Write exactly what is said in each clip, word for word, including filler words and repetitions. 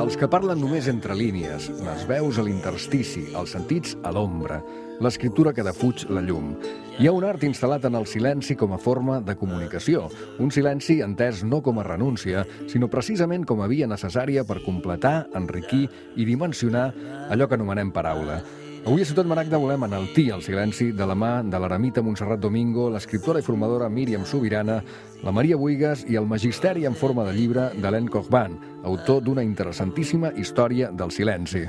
Els que parlen només entre línies, les veus a l'interstici, els sentits a l'ombra, l'escriptura que defuig la llum. Hi ha un art instal·lat en el silenci com a forma de comunicació, un silenci entès no com a renúncia, sinó precisament com a via necessària per completar, enriquir i dimensionar allò que anomenem paraula. Avui a Ciutat Maragda volem enaltir el silenci de la mà de l'eremita Montserrat Domingo, l'escriptora i formadora Míriam Subirana, la Maria Buigas i el magisteri en forma de llibre d'Alain Corban, autor d'una interessantíssima història del silenci.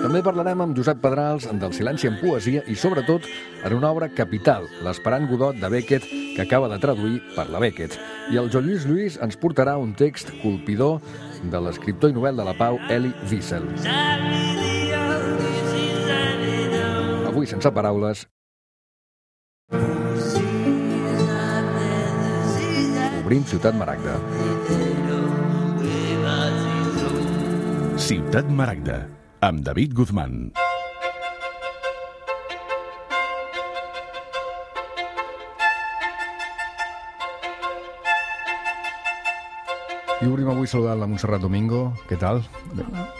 També parlarem amb Josep Pedrals del silenci en poesia i, sobretot, en una obra capital, l'Esperant Godot de Beckett, que acaba de traduir per la Beckett. I el Joan Lluís Lluís ens portarà un text colpidor de l'escriptor i novel de la pau Elie Wiesel. Avui, sense paraules, obrim Ciutat Maragda. Ciutat Maragda, amb David Guzmán. I obrim avui saludant la Montserrat Domingo. Què tal?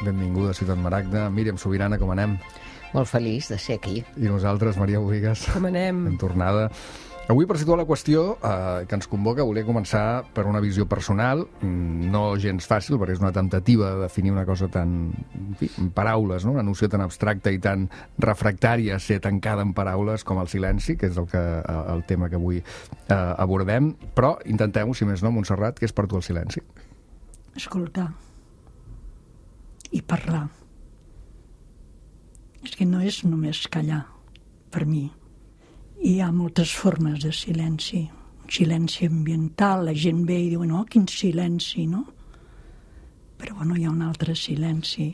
Benvinguda a Ciutat Maragda. Míriam Subirana, com anem? Molt feliç de ser aquí. I nosaltres, Maria Buigas. Com anem? En tornada. Avui, per situar la qüestió eh, que ens convoca, volia començar per una visió personal, no gens fàcil, perquè és una temptativa de definir una cosa tan, en fi, en paraules, no? Una noció tan abstracta i tan refractària a ser tancada en paraules com el silenci, que és el, que, el tema que avui eh, abordem, però intentem-ho, si més no, Montserrat, què és per tu el silenci? Escoltar i parlar. És que no és només callar, per mi. Hi ha moltes formes de silenci. Un silenci ambiental, la gent ve i diu, no, quin silenci, no? Però, bueno, hi ha un altre silenci.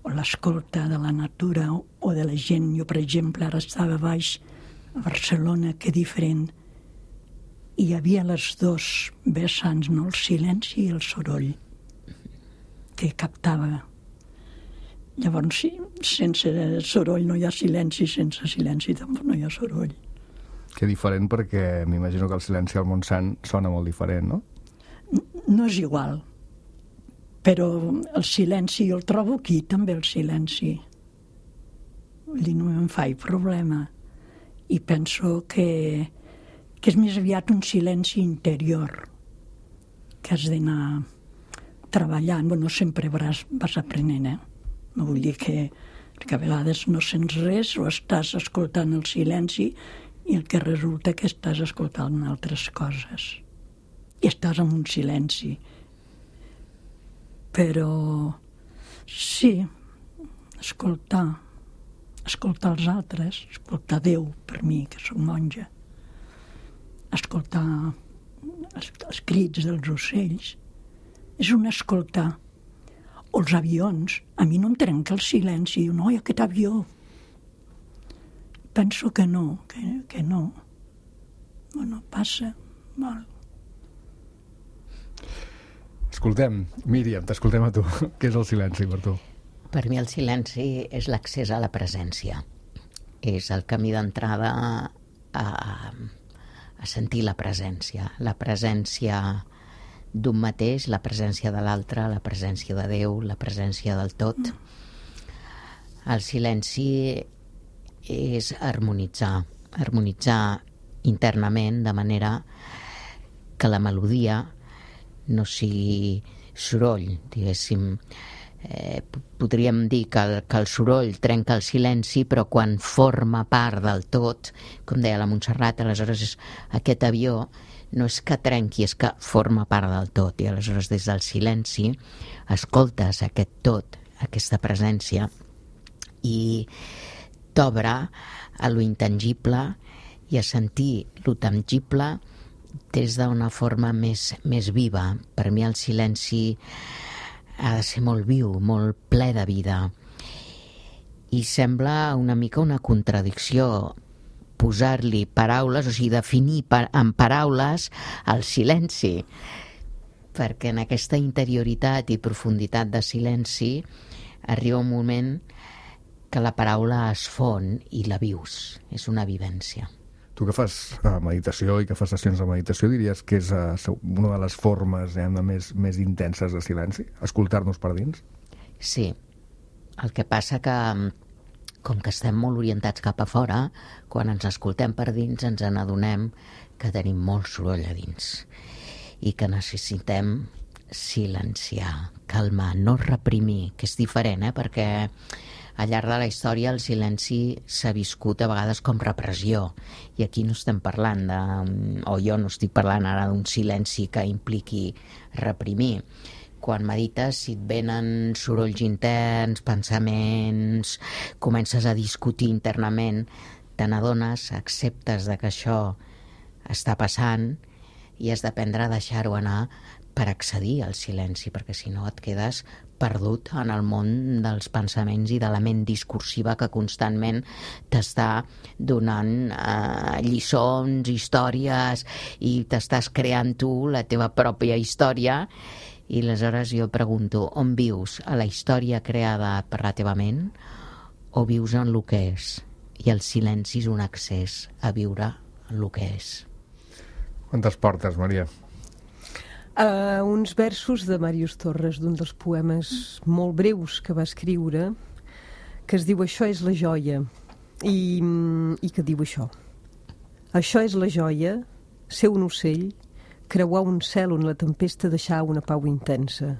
O l'escolta de la natura o de la gent. Jo, per exemple, ara estava baix a Barcelona, que diferent. I hi havia les dos vessants, no? El silenci i el soroll, que captava. Llavors, sí, sense soroll no hi ha silenci, sense silenci tampoc no hi ha soroll. Que diferent, perquè m'imagino que el silenci al Montsant sona molt diferent, no? No és igual, però el silenci jo el trobo aquí, també el silenci. Vull dir, no em faig problema. I penso que, que és més aviat un silenci interior, que has d'anar treballant. Bueno, sempre vas, vas aprenent, eh? No vull dir que, que a vegades no sents res o estàs escoltant el silenci i el que resulta que estàs escoltant altres coses. I estàs en un silenci. Però sí, escoltar, escoltar els altres, escoltar Déu, per mi, que soc monja, escoltar els, els crits dels ocells, és un escoltar. O els avions, a mi no em trenca el silenci, diu, no, i aquest avió. Penso que no, que, que no. Bueno, passa molt. Escoltem, Míriam, t'escoltem a tu. Què és el silenci per tu? Per mi el silenci és l'accés a la presència. És el camí d'entrada a, a sentir la presència. La presència d'un mateix, la presència de l'altre, la presència de Déu, la presència del tot. El silenci és harmonitzar, harmonitzar internament de manera que la melodia no sigui soroll, diguéssim. Eh, podríem dir que el, que el soroll trenca el silenci, però quan forma part del tot, com deia la Montserrat, aleshores és aquest avió no és que trenqui, és que forma part del tot, i aleshores des del silenci escoltes aquest tot, aquesta presència, i t'obre a lo intangible i a sentir lo tangible des d'una forma més, més viva. Per mi el silenci ha de ser molt viu, molt ple de vida, i sembla una mica una contradicció posar-li paraules, o sigui, definir par amb paraules el silenci, perquè en aquesta interioritat i profunditat de silenci arriba un moment que la paraula es fon i la vius, és una vivència. Tu que fas uh, meditació i que fas sessions de meditació, diries que és uh, una de les formes eh, més, més intenses de silenci? Escoltar-nos per dins? Sí. El que passa que, com que estem molt orientats cap a fora, quan ens escoltem per dins ens n'adonem que tenim molt soroll a dins i que necessitem silenciar, calmar, no reprimir, que és diferent, eh? Perquè al llarg de la història el silenci s'ha viscut a vegades com repressió, i aquí no estem parlant de, o jo no estic parlant ara d'un silenci que impliqui reprimir. Quan medites, si et venen sorolls interns, pensaments, comences a discutir internament, te n'adones, acceptes de que això està passant i has d'aprendre a deixar-ho anar per accedir al silenci, perquè si no et quedes perdut en el món dels pensaments i de la ment discursiva que constantment t'està donant eh, lliçons, històries, i t'estàs creant tu la teva pròpia història. I aleshores jo pregunto, on vius? A la història creada per la teva ment o vius en el que és? I el silenci és un accés a viure en el que és. Quantes portes, Maria? Uh, uns versos de Màrius Torres, d'un dels poemes molt breus que va escriure, que es diu Això és la joia, i, i que diu això: això és la joia, ser un ocell, creuar un cel on la tempesta deixà una pau intensa.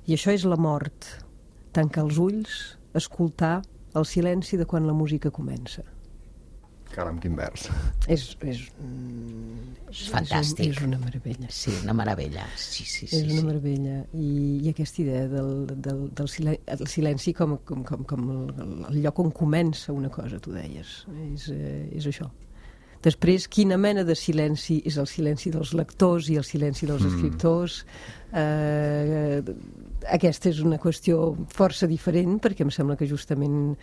I això és la mort, tancar els ulls, escoltar el silenci de quan la música comença. Caram, quin vers. És, és, és fantàstic. És, un, és una meravella. Sí, una meravella. Sí, sí, sí, és una sí. meravella. I, i aquesta idea del, del, del silenci, el silenci com, com, com, com el, el lloc on comença una cosa, tu deies. És, és això. Després, quina mena de silenci és el silenci dels lectors i el silenci dels escriptors? Mm. Eh, aquesta és una qüestió força diferent, perquè em sembla que justament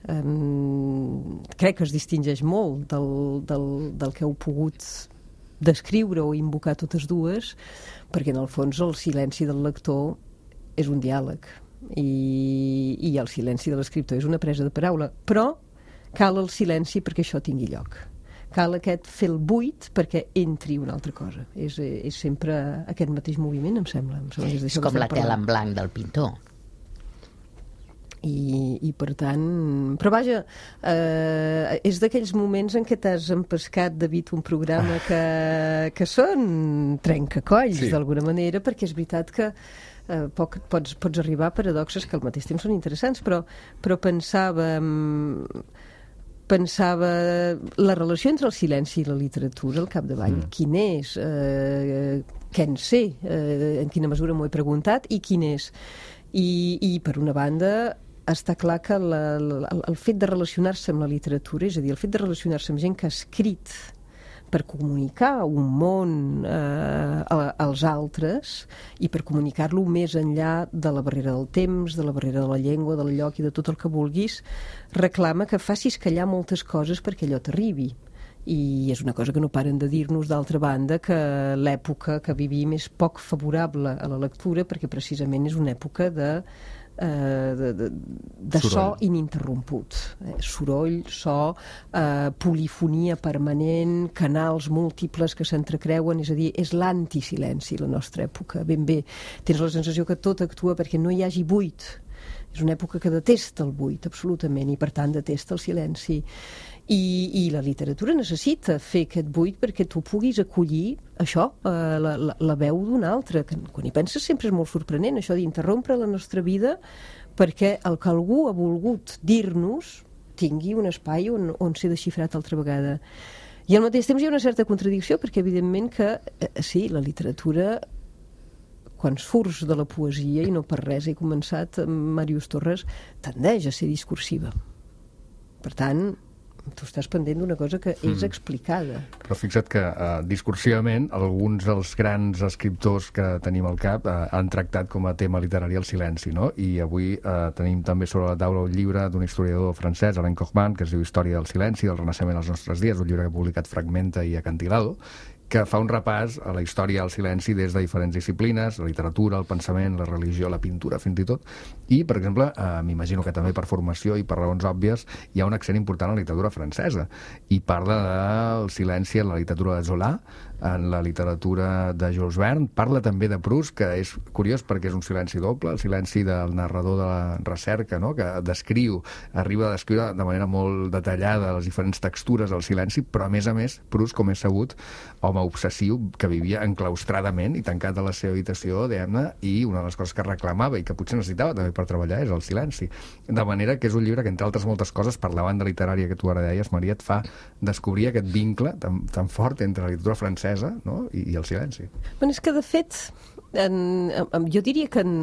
eh, crec que es distingeix molt del, del, del que heu pogut descriure o invocar totes dues, perquè en el fons el silenci del lector és un diàleg i, i el silenci de l'escriptor és una presa de paraula, però cal el silenci perquè això tingui lloc. Cal aquest fer el buit perquè entri una altra cosa. És, és sempre aquest mateix moviment, em sembla. Em sembla que és, és com la tela en blanc del pintor. I, i per tant... Però vaja, eh, és d'aquells moments en què t'has empescat, David, un programa que, que són trencacolls, sí, d'alguna manera, perquè és veritat que eh, poc, pots, pots arribar a paradoxes que al mateix temps són interessants, però, però pensava... pensava la relació entre el silenci i la literatura al capdavall. Mm. Quin és? Eh, què en sé? Eh, en quina mesura m'ho he preguntat? I quin és? I, i per una banda, està clar que la, la, el fet de relacionar-se amb la literatura, és a dir, el fet de relacionar-se amb gent que ha escrit per comunicar un món eh, als altres i per comunicar-lo més enllà de la barrera del temps, de la barrera de la llengua, del lloc i de tot el que vulguis, reclama que facis callar moltes coses perquè allò t'arribi. I és una cosa que no paren de dir-nos, d'altra banda, que l'època que vivim és poc favorable a la lectura perquè precisament és una època de Uh, de, de, de so ininterromput, eh? Soroll, so, uh, polifonia permanent, canals múltiples que s'entrecreuen, és a dir, és l'antisilenci la nostra època, ben bé. Tens la sensació que tot actua perquè no hi hagi buit. És una època que detesta el buit, absolutament, i per tant detesta el silenci. I, i la literatura necessita fer aquest buit perquè tu puguis acollir això, eh, la, la, la veu d'un altre, que quan hi penses sempre és molt sorprenent, això d'interrompre la nostra vida perquè el que algú ha volgut dir-nos tingui un espai on, on ser desxifrat altra vegada. I al mateix temps hi ha una certa contradicció, perquè evidentment que, eh, sí, la literatura, quan surts de la poesia, i no per res he començat amb Màrius Torres, tendeix a ser discursiva. Per tant, tu estàs pendent d'una cosa que és explicada. Però fixa't que uh, discursivament alguns dels grans escriptors que tenim al cap uh, han tractat com a tema literari el silenci, no? I avui uh, tenim també sobre la taula un llibre d'un historiador francès, Alain Cochman, que es diu Història del silenci, del Renaixement als nostres dies, un llibre que ha publicat Fragmenta i Acantilado, que fa un repàs a la història del silenci des de diferents disciplines, la literatura, el pensament, la religió, la pintura, fins i tot. I, per exemple, eh, m'imagino que també per formació i per raons òbvies hi ha un accent important a la literatura francesa i parla del silenci en la literatura de Zola, en la literatura de Jules Verne, parla també de Proust, que és curiós perquè és un silenci doble, el silenci del narrador de la recerca, no? Que descriu, arriba a descriure de manera molt detallada les diferents textures del silenci, però a més a més, Proust, com és sabut, home obsessiu que vivia enclaustradament i tancat a la seva habitació, diguem-ne, i una de les coses que reclamava i que potser necessitava també per treballar és el silenci. De manera que és un llibre que, entre altres moltes coses, per la banda literària que tu ara deies, Maria, et fa descobrir aquest vincle tan, tan fort entre la literatura francesa, no? I, i el silenci. Bueno, és que, de fet, en, en, jo diria que en,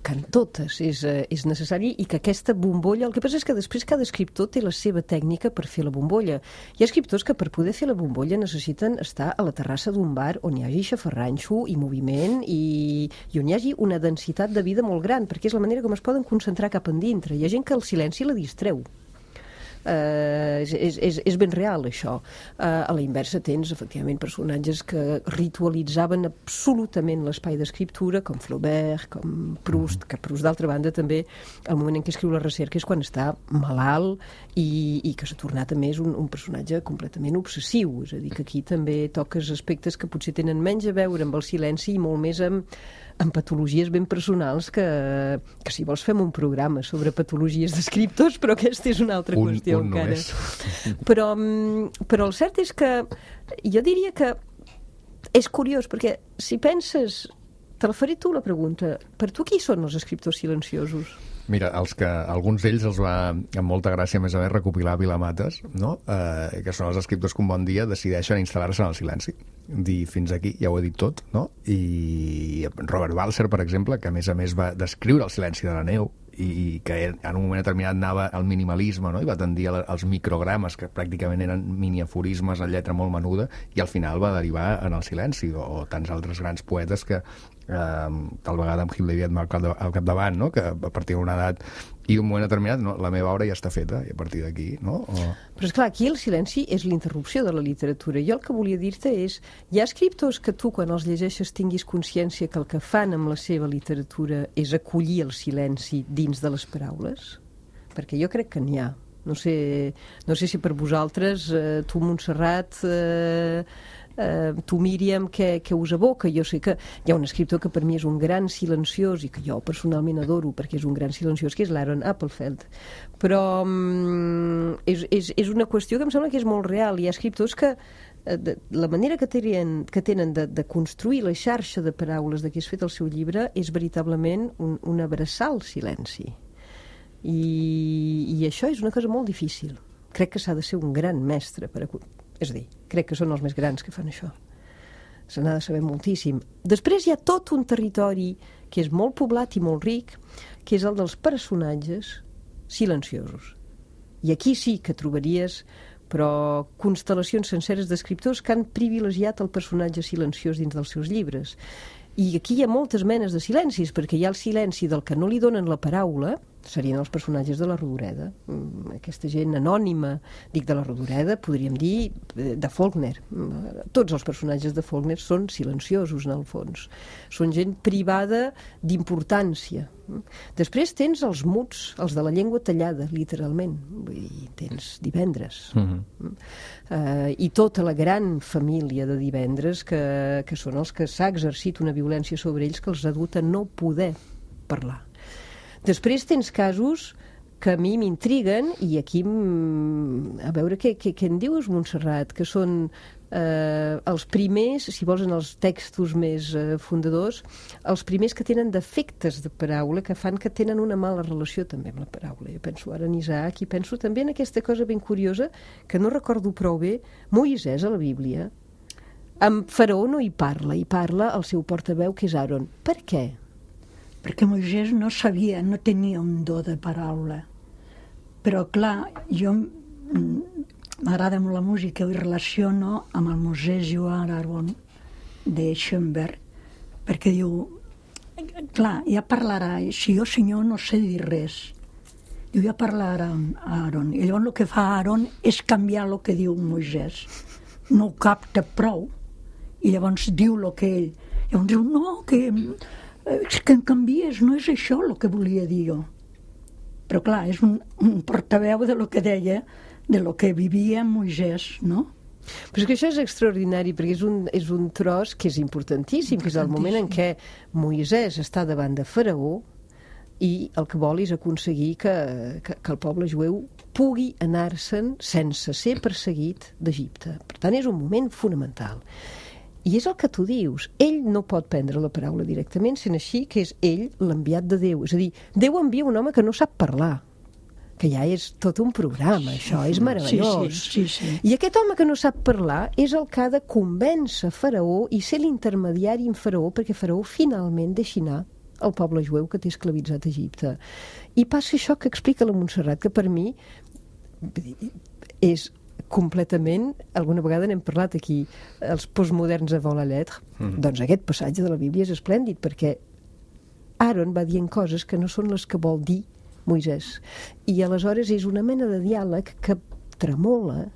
que en totes és, és necessari i que aquesta bombolla... El que passa és que després cada escriptor té la seva tècnica per fer la bombolla. Hi ha escriptors que per poder fer la bombolla necessiten estar a la terrassa d'un bar on hi hagi xafarranxo i moviment i, i on hi hagi una densitat de vida molt gran, perquè és la manera com es poden concentrar cap endintre. Hi ha gent que el silenci la distreu. Uh, és, és, és ben real, això. Uh, a la inversa tens, efectivament, personatges que ritualitzaven absolutament l'espai d'escriptura, com Flaubert, com Proust, que Proust, d'altra banda, també, el moment en què escriu la recerca és quan està malalt i, i que s'ha tornat, a més, un, un personatge completament obsessiu. És a dir, que aquí també toques aspectes que potser tenen menys a veure amb el silenci i molt més amb amb patologies ben personals que, que si vols fem un programa sobre patologies d'escriptors, però aquesta és una altra un, qüestió un encara. No però, però el cert és que jo diria que és curiós, perquè si penses, te la faré tu la pregunta, per tu qui són els escriptors silenciosos? Mira, els que, alguns d'ells els va, amb molta gràcia, a més a més, recopilar Vilamates, no? eh, que són els escriptors que un bon dia decideixen instal·lar-se en el silenci. Dir, fins aquí, ja ho he dit tot, no? I Robert Balser, per exemple, que a més a més va descriure el silenci de la neu i que en un moment determinat anava al minimalisme, no? I va tendir als microgrames, que pràcticament eren miniaforismes en lletra molt menuda, i al final va derivar en el silenci, o, o tants altres grans poetes que eh, tal vegada amb Gil de Viedma al capdavant, no? Que a partir d'una edat i d'un moment determinat, no, la meva obra ja està feta, i a partir d'aquí, no? O... Però esclar, aquí el silenci és l'interrupció de la literatura. Jo el que volia dir-te és, hi ha escriptors que tu, quan els llegeixes, tinguis consciència que el que fan amb la seva literatura és acollir el silenci dins de les paraules? Perquè jo crec que n'hi ha. No sé, no sé si per vosaltres, eh, tu, Montserrat, eh, eh, tu, Míriam, què, què us evoca? Jo sé que hi ha un escriptor que per mi és un gran silenciós i que jo personalment adoro perquè és un gran silenciós, que és l'Aaron Appelfeld. Però mm, és, és, és una qüestió que em sembla que és molt real. Hi ha escriptors que de, la manera que tenen, que tenen de, de construir la xarxa de paraules de què és fet el seu llibre és veritablement un, un abraçar el silenci. I, i això és una cosa molt difícil. Crec que s'ha de ser un gran mestre per a... és a dir, crec que són els més grans que fan això. Se n'ha de saber moltíssim. Després hi ha tot un territori que és molt poblat i molt ric, que és el dels personatges silenciosos. I aquí sí que trobaries, però, constel·lacions senceres d'escriptors que han privilegiat el personatge silenciós dins dels seus llibres. I aquí hi ha moltes menes de silencis, perquè hi ha el silenci del que no li donen la paraula, serien els personatges de la Rodoreda. Aquesta gent anònima, dic de la Rodoreda, podríem dir de Faulkner. Tots els personatges de Faulkner són silenciosos, en el fons. Són gent privada d'importància. Després tens els muts, els de la llengua tallada, literalment. Vull dir, tens Divendres. Mm-hmm. Uh, I tota la gran família de Divendres, que, que són els que s'ha exercit una violència sobre ells que els ha dut a no poder parlar. Després tens casos que a mi m'intriguen i aquí, a veure què, què, què en dius, Montserrat, que són eh, els primers, si vols en els textos més eh, fundadors, els primers que tenen defectes de paraula que fan que tenen una mala relació també amb la paraula. Jo penso ara en Isaac i penso també en aquesta cosa ben curiosa que no recordo prou bé. Moisès a la Bíblia amb Faraó no hi parla, hi parla el seu portaveu que és Aaron. Per què? Perquè Moisès no sabia, no tenia un do de paraula. Però, clar, jo m'agrada molt la música i relaciono amb el Moisès Joan Aaron de Schoenberg, perquè diu, clar, ja parlarà, si jo, senyor, no sé dir res. Diu, ja parlarà a Aaron. I llavors el que fa Aaron és canviar el que diu Moisès. No ho capta prou, I llavors diu el que ell... Llavors diu, no, que, és que em canvies, no és això el que volia dir jo. Però clar, és un, un portaveu de lo que deia, de lo que vivia Moisès, no? Però és que això és extraordinari, perquè és un, és un tros que és importantíssim, que és el moment en què Moisès està davant de Faraó i el que vol és aconseguir que, que, que el poble jueu pugui anar-se'n sense ser perseguit d'Egipte. Per tant, és un moment fonamental. I és el que tu dius. Ell no pot prendre la paraula directament, sent així que és ell l'enviat de Déu. És a dir, Déu envia un home que no sap parlar, que ja és tot un programa, això, és meravellós. Sí, sí, sí, sí. I aquest home que no sap parlar és el que ha de convèncer Faraó i ser l'intermediari en Faraó perquè Faraó finalment deixi anar el poble jueu que té esclavitzat a Egipte. I passa això que explica la Montserrat, que per mi és completament, alguna vegada n'hem parlat aquí, els postmoderns a vol la lettre, mm. doncs aquest passatge de la Bíblia és esplèndid, perquè Aaron va dient coses que no són les que vol dir Moisès. I aleshores és una mena de diàleg que tremola,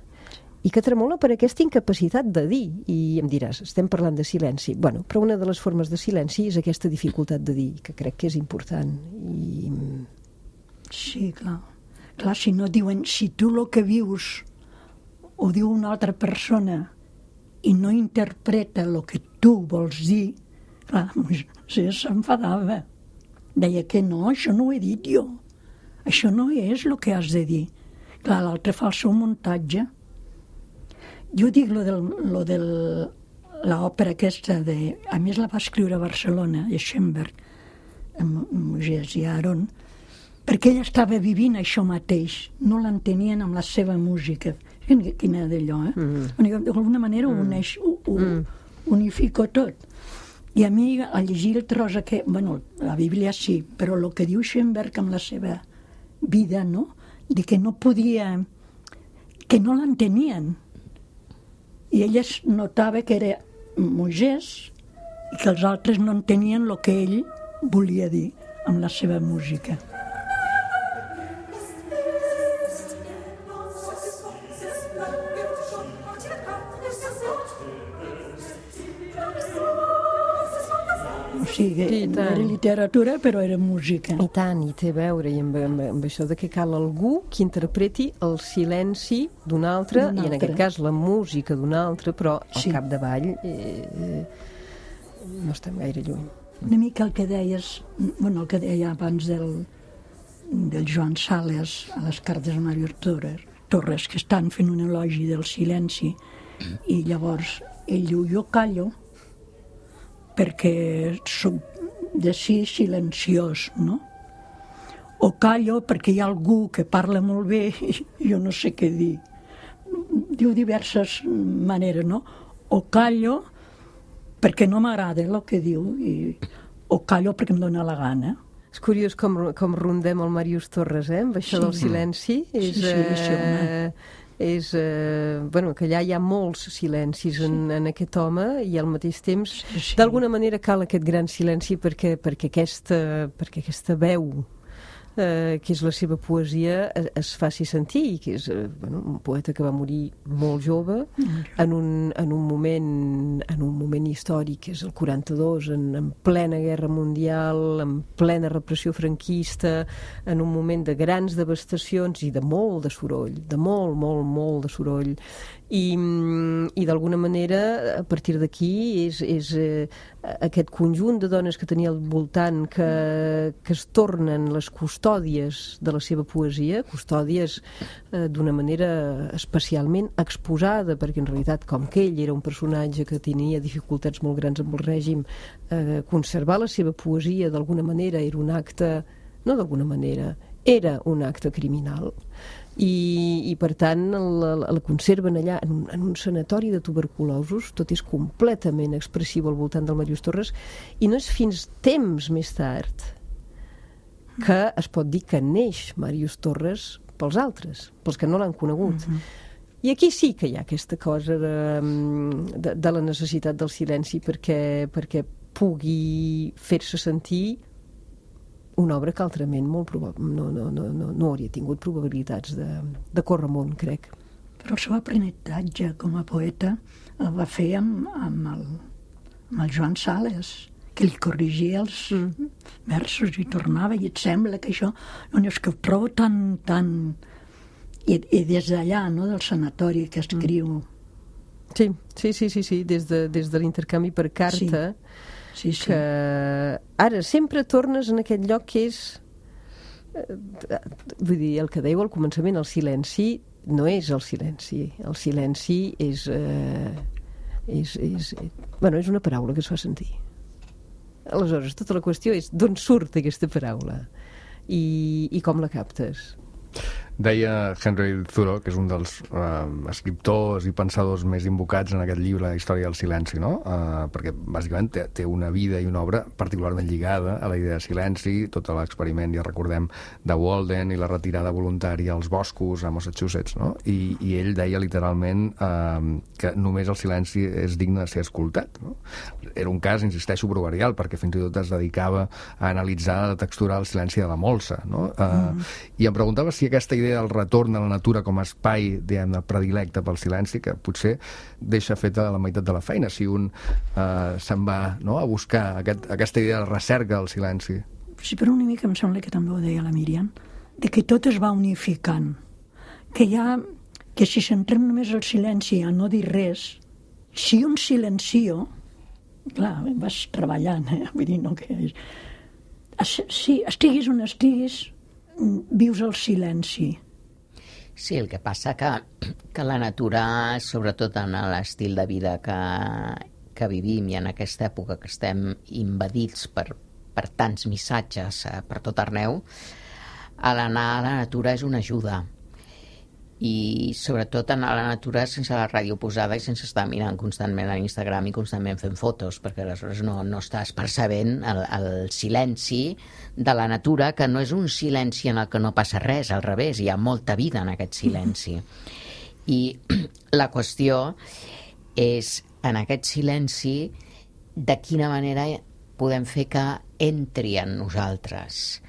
i que tremola per aquesta incapacitat de dir. I em diràs, estem parlant de silenci. Bueno, però una de les formes de silenci és aquesta dificultat de dir, que crec que és important. I... Sí, clar. Clar, si no diuen, si tu el que vius ho diu una altra persona i no interpreta el que tu vols dir, clar, Moisès s'enfadava. Deia que no, això no ho he dit jo. Això no és el que has de dir. Clar, l'altre fa el seu muntatge. Jo dic lo del, lo del l'òpera aquesta de... A més la va escriure a Barcelona, a Schoenberg, amb Moisès i Aaron, perquè ell estava vivint això mateix, no l'entenien amb la seva música. Quina d'allò, eh? Mm. D'alguna manera ho uneix, ho, ho mm. unifico tot. I a mi, a llegir el tros aquest... Bueno, la Bíblia sí, però el que diu Schoenberg amb la seva vida, no? De que no podia... que no l'entenien. I ella es notava que era Moisès i que els altres no entenien el que ell volia dir amb la seva música. O sigui, sí, no era literatura, però era música. I tant, i té a veure i amb, amb, amb això de que cal algú que interpreti el silenci d'un altre, i en aquest cas la música d'un altre, però al sí. capdavall eh, eh, no estem gaire lluny. Una mica el que deies, bueno, el que deia abans del, del Joan Sales a les cartes de Màrius Torres, Torres, que estan fent un elogi del silenci, i llavors ell diu, jo callo, perquè soc de sí silenciós, no? O callo perquè hi ha algú que parla molt bé i jo no sé què dir. Diu diverses maneres, no? O callo perquè no m'agrada el que diu, i, o callo perquè em dóna la gana. És curiós com, com rondem el Màrius Torres, eh? Amb això sí. del silenci. És, sí, sí, sí, home. És, eh, bueno, que allà hi ha molts silencis en, en aquest home i al mateix temps, sí, sí. d'alguna manera cal aquest gran silenci perquè, perquè, aquesta, perquè aquesta veu eh, que és la seva poesia es, es faci sentir, i que és eh, bueno, un poeta que va morir molt jove en un, en un moment en un moment històric, que és el quaranta-dos, en, en plena guerra mundial, en plena repressió franquista, en un moment de grans devastacions i de molt de soroll, de molt, molt, molt de soroll. I, i d'alguna manera, a partir d'aquí, és, és eh, aquest conjunt de dones que tenia al voltant que, que es tornen les custòdies de la seva poesia, custòdies eh, d'una manera especialment exposada, perquè en realitat, com que ell era un personatge que tenia dificultats molt grans amb el règim, eh, conservar la seva poesia d'alguna manera era un acte, no d'alguna manera, era un acte criminal. I, i per tant la, la conserven allà en un, en un sanatori de tuberculosos. Tot és completament expressiu al voltant del Màrius Torres, i no és fins temps més tard que es pot dir que neix Màrius Torres pels altres, pels que no l'han conegut. Mm-hmm. I aquí sí que hi ha aquesta cosa de, de, de la necessitat del silenci perquè, perquè pugui fer-se sentir una obra que altrament molt probab... no, no, no, no, no hauria tingut probabilitats de, de córrer amunt, crec. Però el seu aprenentatge com a poeta el va fer amb, amb, el, amb el Joan Sales, que li corrigia els mm. versos i tornava, i et sembla que això... No, és que ho trobo tan... tan... I, i des d'allà, no?, del sanatori que escriu... Sí, sí, sí, sí, sí. Des de, des de l'intercanvi per carta, sí. Sí, sí. Que ara sempre tornes en aquest lloc que és... Vull dir, el que dèieu al començament, el silenci no és el silenci. El silenci és... Eh, és, és, bueno, és una paraula que es fa sentir. Aleshores, tota la qüestió és d'on surt aquesta paraula i, i com la captes. Deia Henry Thoreau, que és un dels eh, escriptors i pensadors més invocats en aquest llibre, La història del silenci, no? Eh, perquè bàsicament té, té una vida i una obra particularment lligada a la idea de silenci, tot l'experiment, ja recordem, de Walden i la retirada voluntària als boscos a Massachusetts, no? I, i ell deia literalment eh, que només el silenci és digne de ser escoltat, no? Era un cas, insisteixo, proverbial, perquè fins i tot es dedicava a analitzar la textura del silenci de la molsa, no? Eh, mm. I em preguntava si aquesta idea del retorn a la natura com a espai, diguem-ne, predilecte pel silenci, que potser deixa feta la meitat de la feina si un eh, se'n va, no?, a buscar aquest, aquesta idea de recerca del silenci. Sí, però una mica em sembla que també ho deia la Míriam, de que tot es va unificant, que ja, que si centrem només el silenci a no dir res, si un silencio, clar, vas treballant, eh? Vull dir, no que és... Si estiguis on estiguis, vius el silenci. Sí, el que passa que, que la natura, sobretot en l'estil de vida que, que vivim i en aquesta època que estem invadits per, per tants missatges per tot arreu, a l'anar a la natura és una ajuda. I sobretot anar a la natura sense la ràdio posada i sense estar mirant constantment a l'Instagram i constantment fent fotos, perquè aleshores no, no estàs percebent el, el silenci de la natura, que no és un silenci en el que no passa res, al revés, hi ha molta vida en aquest silenci. I la qüestió és, en aquest silenci, de quina manera podem fer que entri en nosaltres.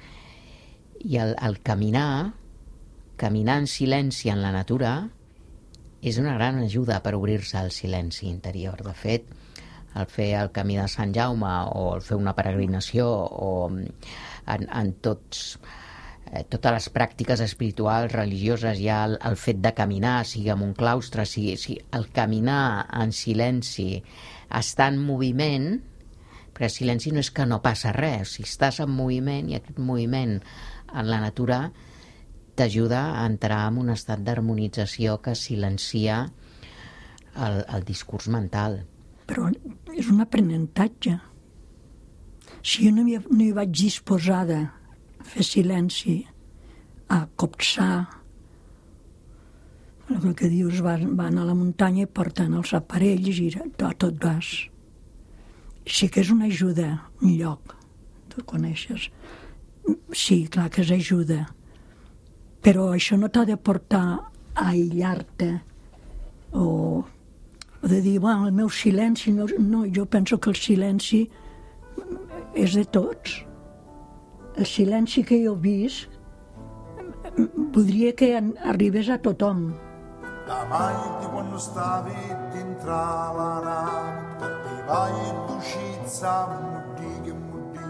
I el, el caminar... Caminar en silenci en la natura és una gran ajuda per obrir-se al silenci interior. De fet, el fer el camí de Sant Jaume o el fer una peregrinació o en, en tots, eh, totes les pràctiques espirituals, religioses, ja el, el fet de caminar, sigui en un claustre, sigui, sigui el caminar en silenci, estar en moviment, perquè el silenci no és que no passa res, si estàs en moviment i aquest moviment en la natura t'ajuda a entrar en un estat d'harmonització que silencia el, el discurs mental. Però és un aprenentatge. Si jo no hi, no hi vaig disposada a fer silenci, a copsar, el que dius, van, van a la muntanya i porten els aparells i tot, tot vas. Sí que és una ajuda, un lloc, tu coneixes. Sí, clar que és ajuda. Però això no t'ha de portar a aïllar-te o, o de dir, bueno, el meu silenci... El meu... No, jo penso que el silenci és de tots. El silenci que jo he vist voldria que arribés a tothom. La mai di quando stavi dentro la nave, per te vai d'uscizza, muddi che muddi,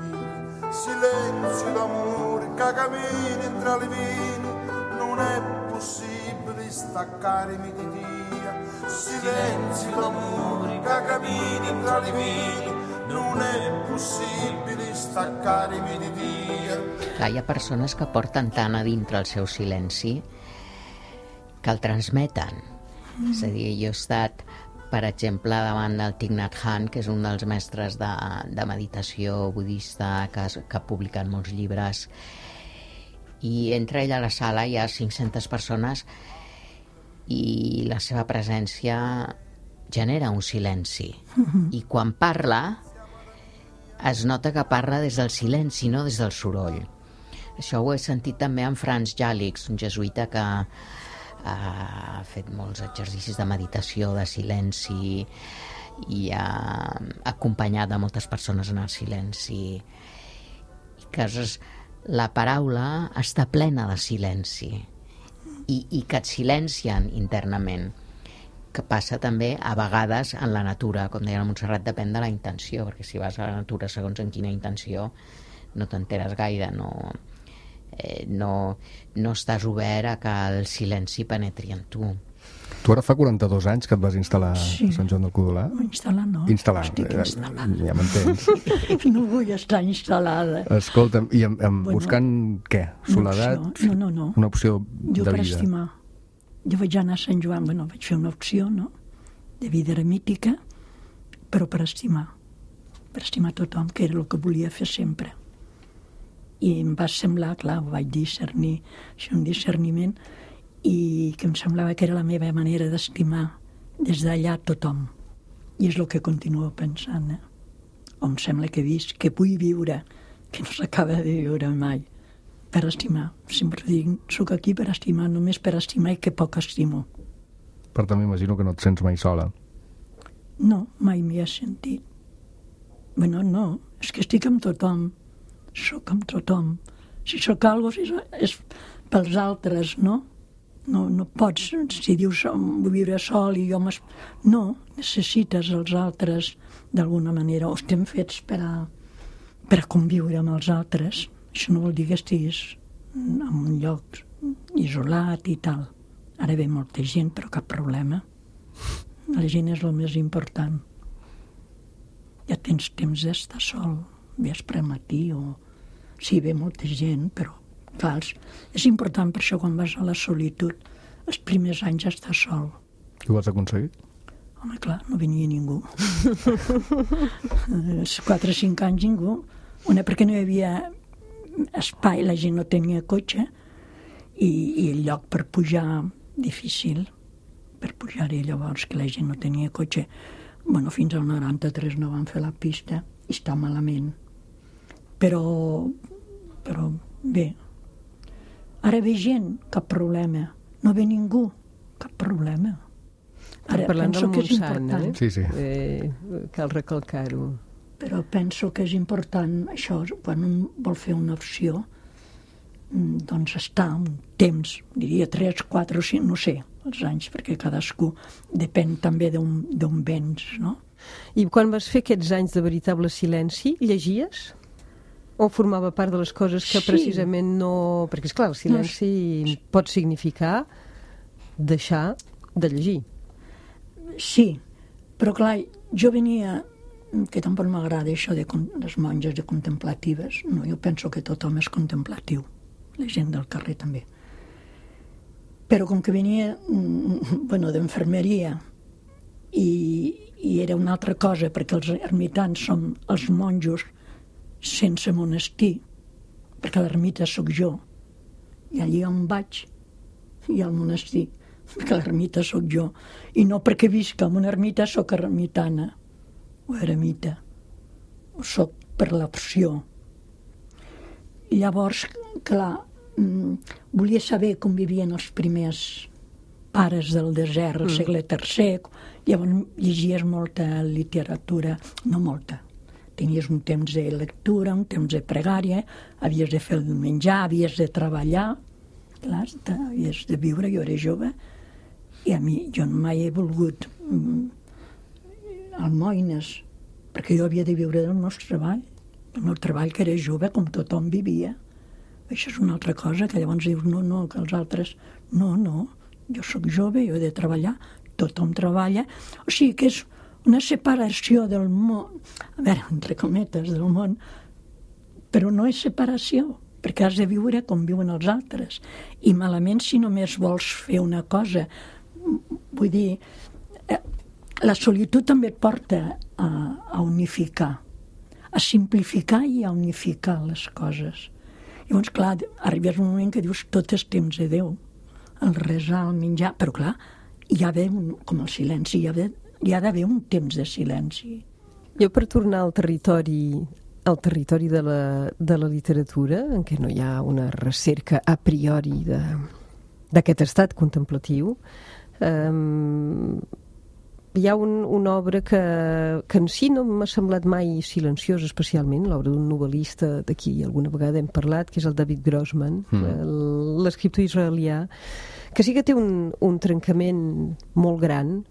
silenzio d'amore che cammini tra le vini. Non è possibile staccarmi di Dio, silenzio d'amore che cammini tra le vini, non è possibile staccarmi di Dio. Clar, hi ha persones que porten tant a dintre el seu silenci que el transmeten. Mm. És a dir, jo he estat, per exemple, davant del Thich Nhat Hanh, que és un dels mestres de, de meditació budista que, que ha publicat molts llibres, i entra ell a la sala, hi ha cinc-centes persones i la seva presència genera un silenci. Mm-hmm. I quan parla es nota que parla des del silenci, no des del soroll. Això ho he sentit també en Franz Jalix, un jesuïta que ha fet molts exercicis de meditació, de silenci, i ha acompanyat a moltes persones en el silenci. I que és... La paraula està plena de silenci i, i que et silencien internament, que passa també a vegades en la natura, com deia la Montserrat, depèn de la intenció, perquè si vas a la natura segons en quina intenció no t'enteres gaire, no, eh, no, no estàs obert a que el silenci penetri en tu. Tu ara fa quaranta-dos anys que et vas instal·lar Sí. a Sant Joan del Codolà? Instal·lar no. Instal·lar, Estic eh, instal·lada. ja m'entens. No vull estar instal·lada. Escolta'm, i amb, amb Bueno, buscant què? Soledat? opció. No, no, no. Una opció Jo de per vida? estimar. Jo vaig anar a Sant Joan, bueno, vaig fer una opció, no?, de vida eremítica, però per estimar. Per estimar tothom, que era el que volia fer sempre. I em va semblar, clar, ho vaig discernir, això un discerniment, i que em semblava que era la meva manera d'estimar des d'allà tothom. I és el que continuo pensant, eh? O em sembla que he vist, que vull viure, que no s'acaba de viure mai, per estimar. Sempre dic, soc aquí per estimar, només per estimar i que poc estimo. Per tant, m'imagino que no et sents mai sola. No, mai m'hi he sentit. Bueno, no, és que estic amb tothom, soc amb tothom. Si sóc algo, si so, és pels altres, no? No, no pots, si dius vull viure sol i jo m'es... No, necessites els altres d'alguna manera, o estem fets per a, per a conviure amb els altres. Això no vol dir que estiguis en un lloc isolat i tal. Ara ve molta gent, però cap problema. La gent és el més important. Ja tens temps d'estar sol, vespre, matí, o... Sí, ve molta gent, però clar, és important per això quan vas a la solitud, els primers anys estar sol. I ho has aconseguit? Home, clar, no venia ningú. Els quatre o cinc anys ningú. Una, perquè no hi havia espai, la gent no tenia cotxe, i, i el lloc per pujar difícil, per pujar-hi llavors, que la gent no tenia cotxe. Bueno, fins al noranta-tres no van fer la pista, i està malament. Però, però bé, ara ve gent, cap problema. No ve ningú, cap problema. Ara Parlant penso del que és Montsant, important. eh? Sí, sí. Eh, cal recalcar-ho. Però penso que és important això, quan un vol fer una opció, doncs estar un temps, diria tres, quatre o cinc, no sé, els anys, perquè cadascú depèn també d'on vens, no? I quan vas fer aquests anys de veritable silenci, llegies? O formava part de les coses que Sí. precisament no... Perquè, esclar, el silenci no, pot significar deixar de llegir. Sí, però clar, jo venia, que tampoc m'agrada això de les monges de contemplatives, no, jo penso que tothom és contemplatiu, la gent del carrer també. Però com que venia, bueno, d'infermeria, i, i era una altra cosa, perquè els ermitans som els monjos sense monestir, perquè l'ermita sóc jo, i allí on vaig, hi ha el monestir, perquè l'ermita sóc jo, i no perquè visca en una ermita sóc ermitana, o eremita, o sóc per l'opció. I llavors, clar, volia saber com vivien els primers pares del desert, al segle tercer, llavors llegies molta literatura, no molta, tenies un temps de lectura, un temps de pregària, havies de fer el menjar, havies de treballar, clar, havies de viure, jo era jove, i a mi, jo mai he volgut mm, almoines, perquè jo havia de viure del meu treball, el meu treball que era jove, com tothom vivia. Això és una altra cosa, que llavors dius, no, no, que els altres, no, no, jo sóc jove, jo he de treballar, tothom treballa, o sigui que és una separació del món, a veure, entre cometes, del món, però no és separació, perquè has de viure com viuen els altres. I malament si només vols fer una cosa. Vull dir, la solitud també et porta a, a unificar, a simplificar i a unificar les coses. Llavors, clar, arribes un moment que dius tot és temps de Déu, el resar, el menjar, però clar, hi ha d'haver, com el silenci, hi ha d'haver hi ha d'haver un temps de silenci. Jo, per tornar al territori, al territori de la, de la literatura, en què no hi ha una recerca a priori d'aquest estat contemplatiu, eh, hi ha un, una obra que, que en si no m'ha semblat mai silenciosa especialment, l'obra d'un novel·lista d'aquí alguna vegada hem parlat, que és el David Grossman, mm. l'escriptor israelià, que sí que té un, un trencament molt gran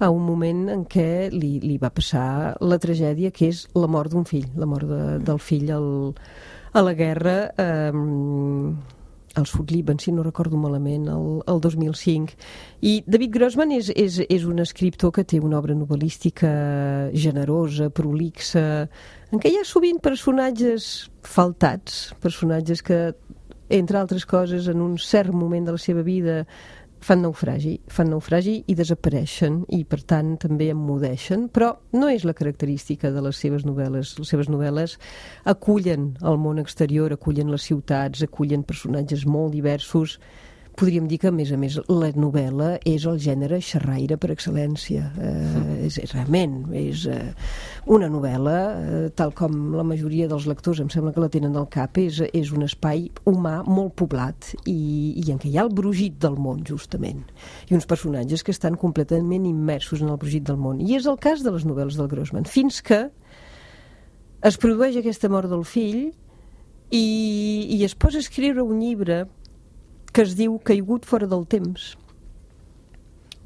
a un moment en què li, li va passar la tragèdia que és la mort d'un fill, la mort de, del fill al, a la guerra eh, al Sud Líban, si no recordo malament, el, el dos mil cinc. I David Grossman és, és, és un escriptor que té una obra novel·lística generosa, prolixa, en què hi ha sovint personatges faltats, personatges que, entre altres coses, en un cert moment de la seva vida fan naufragi, fan naufragi i desapareixen i per tant també emmudeixen, però no és la característica de les seves novel·les. Les seves novel·les acullen el món exterior, acullen les ciutats, acullen personatges molt diversos. Podríem dir que, a més a més, la novel·la és el gènere xerraire per excel·lència. Eh, és, és realment, és eh, una novel·la, eh, tal com la majoria dels lectors em sembla que la tenen al cap, és, és un espai humà molt poblat i, i en què hi ha el brogit del món, justament, i uns personatges que estan completament immersos en el brogit del món. I és el cas de les novel·les del Grossman, fins que es produeix aquesta mort del fill i, i es posa a escriure un llibre que es diu Caigut fora del temps,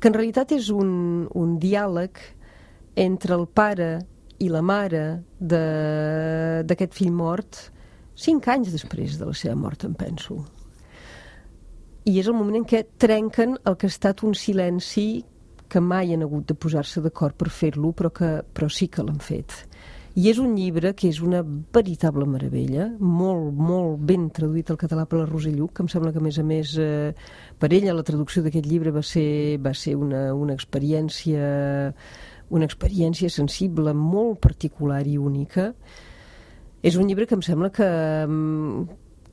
que en realitat és un, un diàleg entre el pare i la mare d'aquest fill mort cinc anys després de la seva mort, em penso. I és el moment en què trenquen el que ha estat un silenci que mai han hagut de posar-se d'acord per fer-lo, però, que, però sí que l'han fet. I és un llibre que és una veritable meravella, molt, molt ben traduït al català per la Roser Lluch, que em sembla que, a més a més, eh, per ella la traducció d'aquest llibre va ser, va ser una, una experiència una experiència sensible, molt particular i única. És un llibre que em sembla que,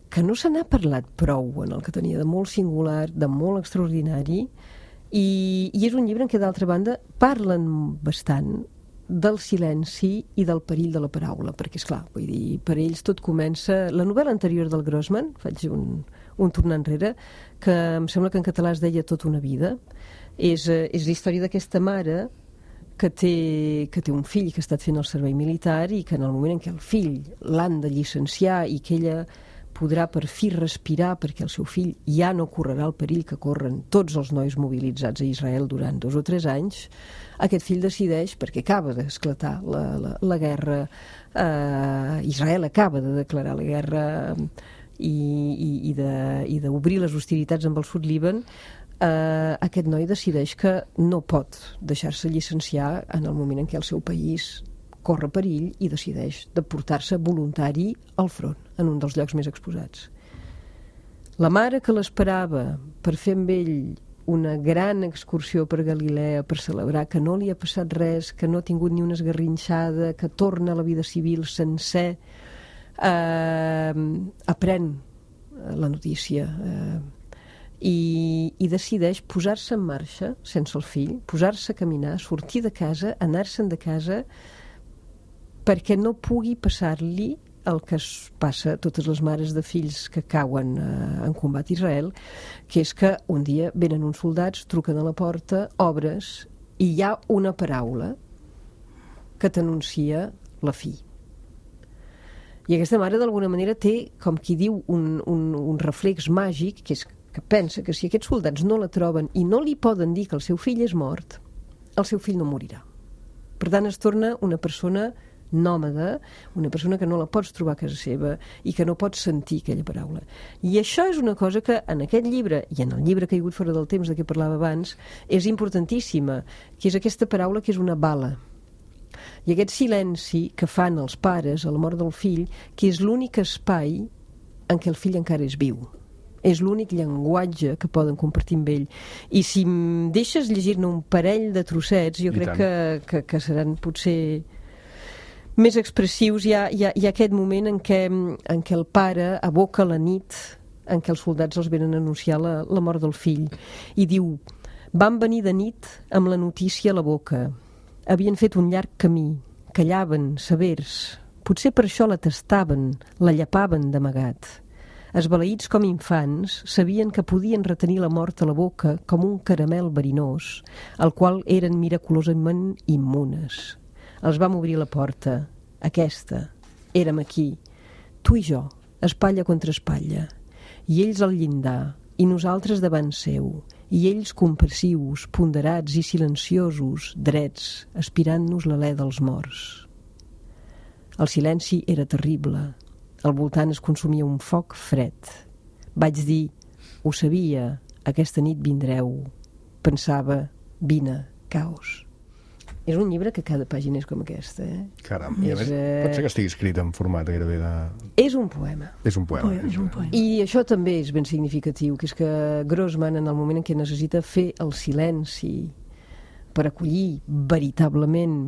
que no se n'ha parlat prou, en el que tenia de molt singular, de molt extraordinari, i, i és un llibre en què, d'altra banda, parlen bastant del silenci i del perill de la paraula, perquè, esclar, vull dir, per ells tot comença... La novel·la anterior del Grossman, faig un, un tornar enrere, que em sembla que en català es deia Tota una vida, és, és la història d'aquesta mare que té, que té un fill que ha estat fent el servei militar i que en el moment en què el fill l'han de llicenciar i que ella podrà per fi respirar perquè el seu fill ja no correrà el perill que corren tots els nois mobilitzats a Israel durant dos o tres anys, aquest fill decideix, perquè acaba d'esclatar la, la, la guerra, eh, Israel acaba de declarar la guerra i, i, i de, i d'obrir les hostilitats amb el Sud Líban, eh, aquest noi decideix que no pot deixar-se llicenciar en el moment en què el seu país corre perill i decideix de portar-se voluntari al front, en un dels llocs més exposats. La mare que l'esperava per fer amb ell una gran excursió per Galilea per celebrar que no li ha passat res, que no ha tingut ni una esgarrinxada, que torna a la vida civil sencer, eh, aprèn la notícia eh, i, i decideix posar-se en marxa sense el fill, posar-se a caminar, sortir de casa, anar-se'n de casa perquè no pugui passar-li el que es passa a totes les mares de fills que cauen eh, en combat a Israel, que és que un dia venen uns soldats, truquen a la porta, obres, i hi ha una paraula que t'anuncia la fi. I aquesta mare, d'alguna manera, té, com qui diu, un, un, un reflex màgic, que és que pensa que si aquests soldats no la troben i no li poden dir que el seu fill és mort, el seu fill no morirà. Per tant, es torna una persona nòmada, una persona que no la pots trobar a casa seva i que no pots sentir aquella paraula. I això és una cosa que en aquest llibre, i en el llibre Caigut fora del temps de què parlava abans, és importantíssima, que és aquesta paraula que és una bala. I aquest silenci que fan els pares a la mort del fill, que és l'únic espai en què el fill encara és viu. És l'únic llenguatge que poden compartir amb ell. I si em deixes llegir-ne un parell de trossets, jo I crec que, que, que seran potser més expressius. Hi ha, hi ha, hi ha aquest moment en què, en què el pare aboca la nit en què els soldats els venen a anunciar la, la mort del fill i diu: van venir de nit amb la notícia a la boca, havien fet un llarg camí, callaven, severs, potser per això la tastaven, la llapaven d'amagat. esbalaïts com infants, sabien que podien retenir la mort a la boca com un caramel verinós, al qual eren miraculosament immunes. Els vam obrir la porta. Aquesta. Érem aquí. Tu i jo, espatlla contra espatlla. I ells al llindar, i nosaltres davant seu, i ells compassius, ponderats i silenciosos, drets, aspirant-nos l'alè dels morts. El silenci era terrible. Al voltant es consumia un foc fred. Vaig dir, ho sabia, aquesta nit vindreu. Pensava, vine, caos. És un llibre que cada pàgina és com aquesta, eh? Caram, i a més, eh... pot ser que estigui escrit en format gairebé de... És un poema. És un poema. És un poema. I això també és ben significatiu, que és que Grossman, en el moment en què necessita fer el silenci per acollir veritablement,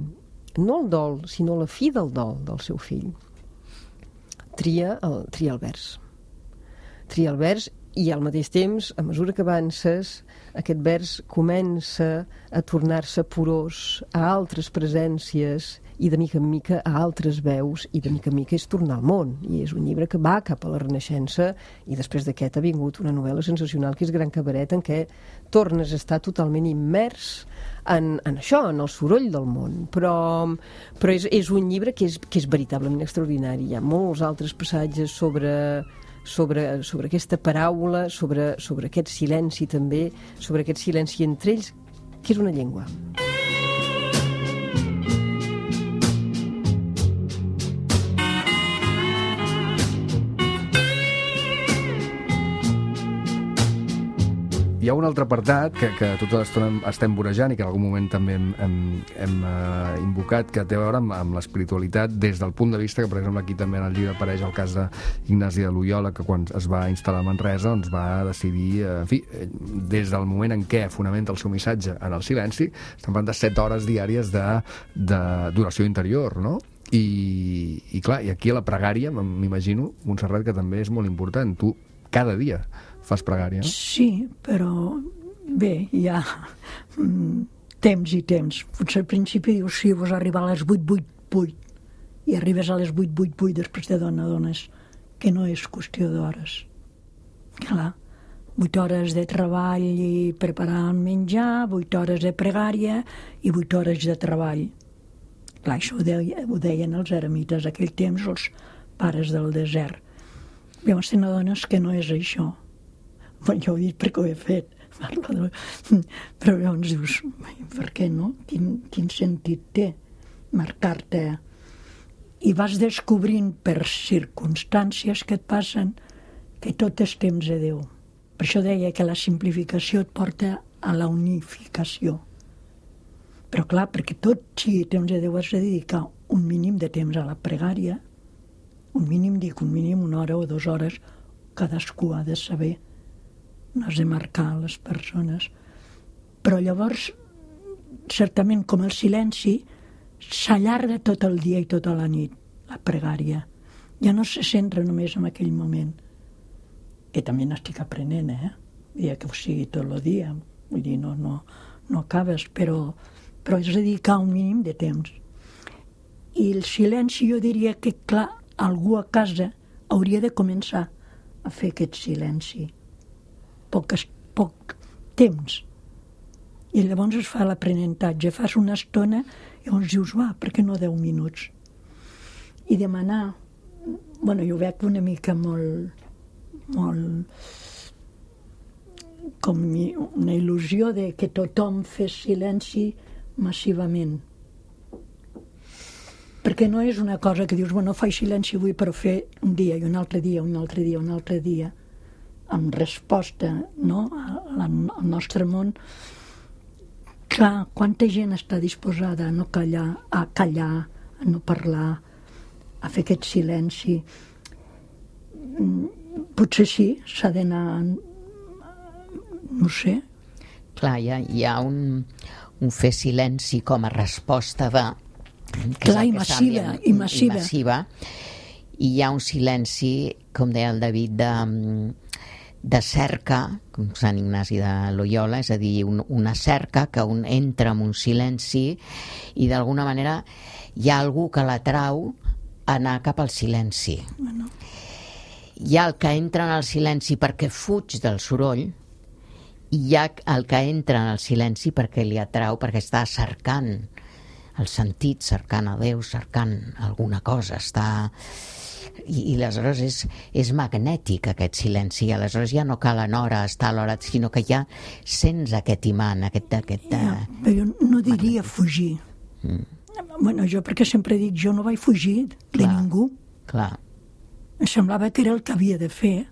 no el dol, sinó la fi del dol del seu fill, tria el, tria el vers. Tria el vers i al mateix temps, a mesura que avances, aquest vers comença a tornar-se porós a altres presències i de mica en mica a altres veus, i de mica en mica és tornar al món. I és un llibre que va cap a la Renaixença, i després d'aquest ha vingut una novel·la sensacional que és Gran Cabaret, en què tornes a estar totalment immers en, en això, en el soroll del món. Però, però és, és un llibre que és, que és veritablement extraordinari. Hi ha molts altres passatges sobre... Sobre, sobre aquesta paraula, sobre, sobre aquest silenci també, sobre aquest silenci entre ells, que és una llengua. Hi ha un altre apartat que, que tota l'estona estem vorejant i que en algun moment també hem, hem, hem uh, invocat, que té a veure amb, amb l'espiritualitat des del punt de vista que, per exemple, aquí també en el llibre apareix el cas d'Ignasi de Loyola, que quan es va instal·lar a Manresa doncs va decidir, uh, en fi, des del moment en què fonamenta el seu missatge en el silenci, estem parlant de set hores diàries de, de d'oració interior, no? I, i clar, i aquí a la pregària, m'imagino, Montserrat, que també és molt important. Tu, cada dia, fas pregària? Sí, però bé, hi ha mm, temps i temps. Potser al principi dius, sí, vos arribar a les vuit, vuit, vuit, i arribes a les vuit, vuit, vuit, després te dones que no és qüestió d'hores. Clar, vuit hores de treball i preparar el menjar, vuit hores de pregària i vuit hores de treball. Clar, això ho, deia, ho deien els eremites, aquell temps, els pares del desert. Llavors te n'adones que no és això. Bueno, jo ho he dit perquè ho he fet, de... però llavors dius, per què no? Quin, quin sentit té marcar-te? I vas descobrint per circumstàncies que et passen que tot és temps de Déu. Per això deia que la simplificació et porta a la unificació. Però clar, perquè tot sigui temps de Déu has de dedicar un mínim de temps a la pregària, un mínim, dic, un mínim, una hora o dues hores, cadascú ha de saber. No has de marcar les persones. Però llavors, certament, com el silenci, s'allarga tot el dia i tota la nit, la pregària. Ja no se centra només en aquell moment. Que també n'estic aprenent, eh? Dia que ho sigui tot el dia. Vull dir, no, no, no acabes, però, però és dedicar un mínim de temps. I el silenci, jo diria que, clar, algú a casa hauria de començar a fer aquest silenci. Poc, poc temps. I llavors es fa l'aprenentatge. Fas una estona i llavors dius, va, per què no deu minuts? I demanar, bueno, jo veig una mica molt, molt, com una il·lusió de que tothom fes silenci massivament. Perquè no és una cosa que dius, bueno, faig silenci avui per fer un dia i un altre dia, un altre dia, un altre dia, amb resposta, no?, al nostre món. Clar, quanta gent està disposada a no callar, a callar, a no parlar, a fer aquest silenci. Potser sí, s'ha d'anar, no sé. Clar, hi ha, hi ha un, un fer silenci com a resposta de... Clar, i massiva, i massiva. I massiva. I hi ha un silenci, com deia el David, de, de cerca, com Sant Ignasi de Loyola, és a dir, un, una cerca que un entra en un silenci i d'alguna manera hi ha algú que l'atrau a anar cap al silenci. Bueno. Hi ha el que entra en el silenci perquè fuig del soroll, i hi ha el que entra en el silenci perquè li atrau, perquè està cercant el sentit, cercant a Déu, cercant alguna cosa, està... I, i aleshores és, és magnètic aquest silenci, i aleshores ja no cal en hora estar a l'hora, sinó que ja sents aquest imant, aquest... aquest ja, però jo no diria fugir. Mm. Bueno, jo perquè sempre dic, jo no vaig fugir de clar, ningú. Clar. Em semblava que era el que havia de fer.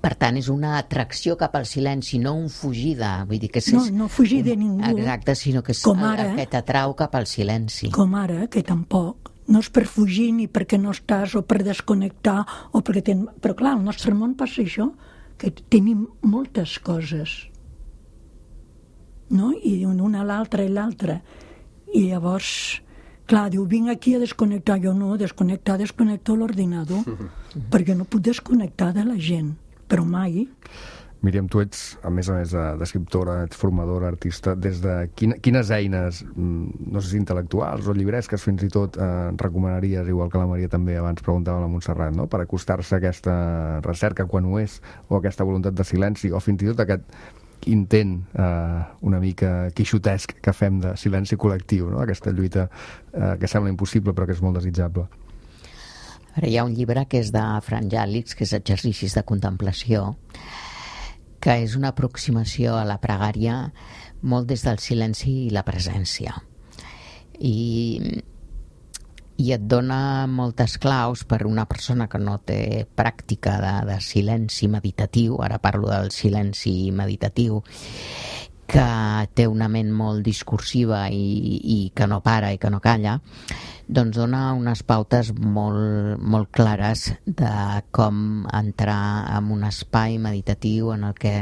Per tant, és una atracció cap al silenci, no un fugida. Vull dir que és, no, no fugir de ningú. Exacte, sinó que és ara, el que t'atrau cap al silenci. Com ara, que tampoc. No és per fugir ni perquè no estàs o per desconnectar, o perquè ten... però clar, al nostre món passa això, que tenim moltes coses. No? I una a l'altra i l'altra. I llavors, clar, diu, vinc aquí a desconnectar. Jo no, desconnectar, desconnecto l'ordinador, perquè no puc desconnectar de la gent. Però mai. Míriam, tu ets, a més a més d'escriptora, ets formadora, artista, des de quina, quines eines, no sé si intel·lectuals o llibresques fins i tot, eh, recomanaries, igual que la Maria també abans preguntava a la Montserrat, no? Per acostar-se a aquesta recerca quan ho és, o aquesta voluntat de silenci, o fins i tot aquest intent eh, una mica quixotesc que fem de silenci col·lectiu, no? Aquesta lluita eh, que sembla impossible però que és molt desitjable. Ara hi ha un llibre que és de Fran Jàlix, que és Exercicis de contemplació, que és una aproximació a la pregària molt des del silenci i la presència. I, i et dona moltes claus per una persona que no té pràctica de, de silenci meditatiu, ara parlo del silenci meditatiu, que té una ment molt discursiva i, i que no para i que no calla, doncs dona unes pautes molt, molt clares de com entrar en un espai meditatiu en el que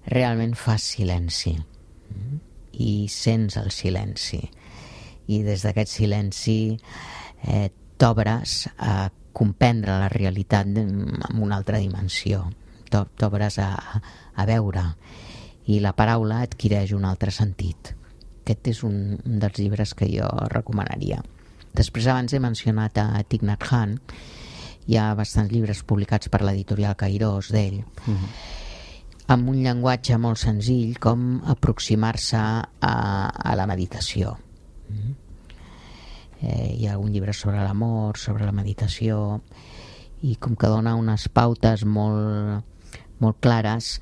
realment fas silenci i sents el silenci. I des d'aquest silenci eh, t'obres a comprendre la realitat en una altra dimensió. T'obres a, a veure. I la paraula adquireix un altre sentit. Aquest és un, un dels llibres que jo recomanaria. Després, abans he mencionat a Thich Nhat Hanh, hi ha bastants llibres publicats per l'editorial Kairos d'ell, uh-huh. amb un llenguatge molt senzill com aproximar-se a, a la meditació. Uh-huh. Eh, hi ha un llibre sobre l'amor, sobre la meditació, i com que dona unes pautes molt, molt clares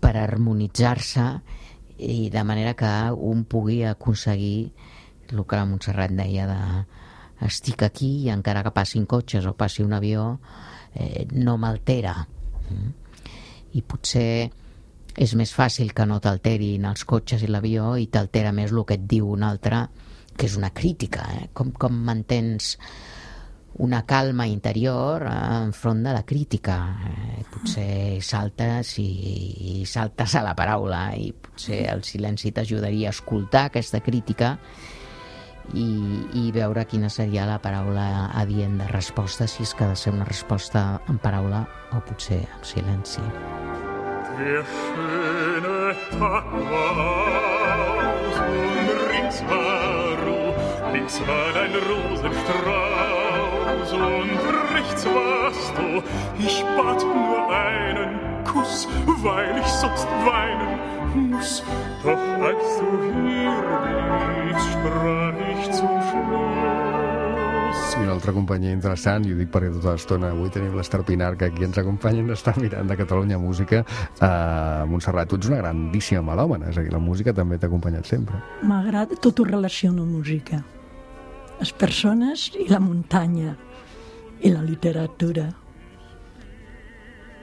per harmonitzar-se i de manera que un pugui aconseguir el que la Montserrat deia de estic aquí i encara que passin cotxes o passi un avió eh, no m'altera. I potser és més fàcil que no t'alterin els cotxes i l'avió i t'altera més el que et diu un altre, que és una crítica, eh? com, com mantens una calma interior enfront de la crítica. Eh, potser saltes i, i saltes a la paraula i potser el silenci t'ajudaria a escoltar aquesta crítica i, i veure quina seria la paraula adient de resposta, si és que ha de ser una resposta en paraula o potser en silenci. Der schöne Tag war aus und rings war Ruh, links war ein Rosenstrauß und rechts warst du. Ich bat nur einen Kuss, weil ich sonst weinen muss. Doch als du hier bliebst, sprach ich zum Schluss. I una altra companyia interessant, i ho dic perquè tota l'estona avui tenim l'Ester Pinar, que aquí ens acompanya, ens està mirant de Catalunya Música. Uh, Montserrat, tu ets una grandíssima melòmana, és a dir, la música també t'ha acompanyat sempre. M'agrada, tot ho relaciono amb música. Les persones i la muntanya i la literatura.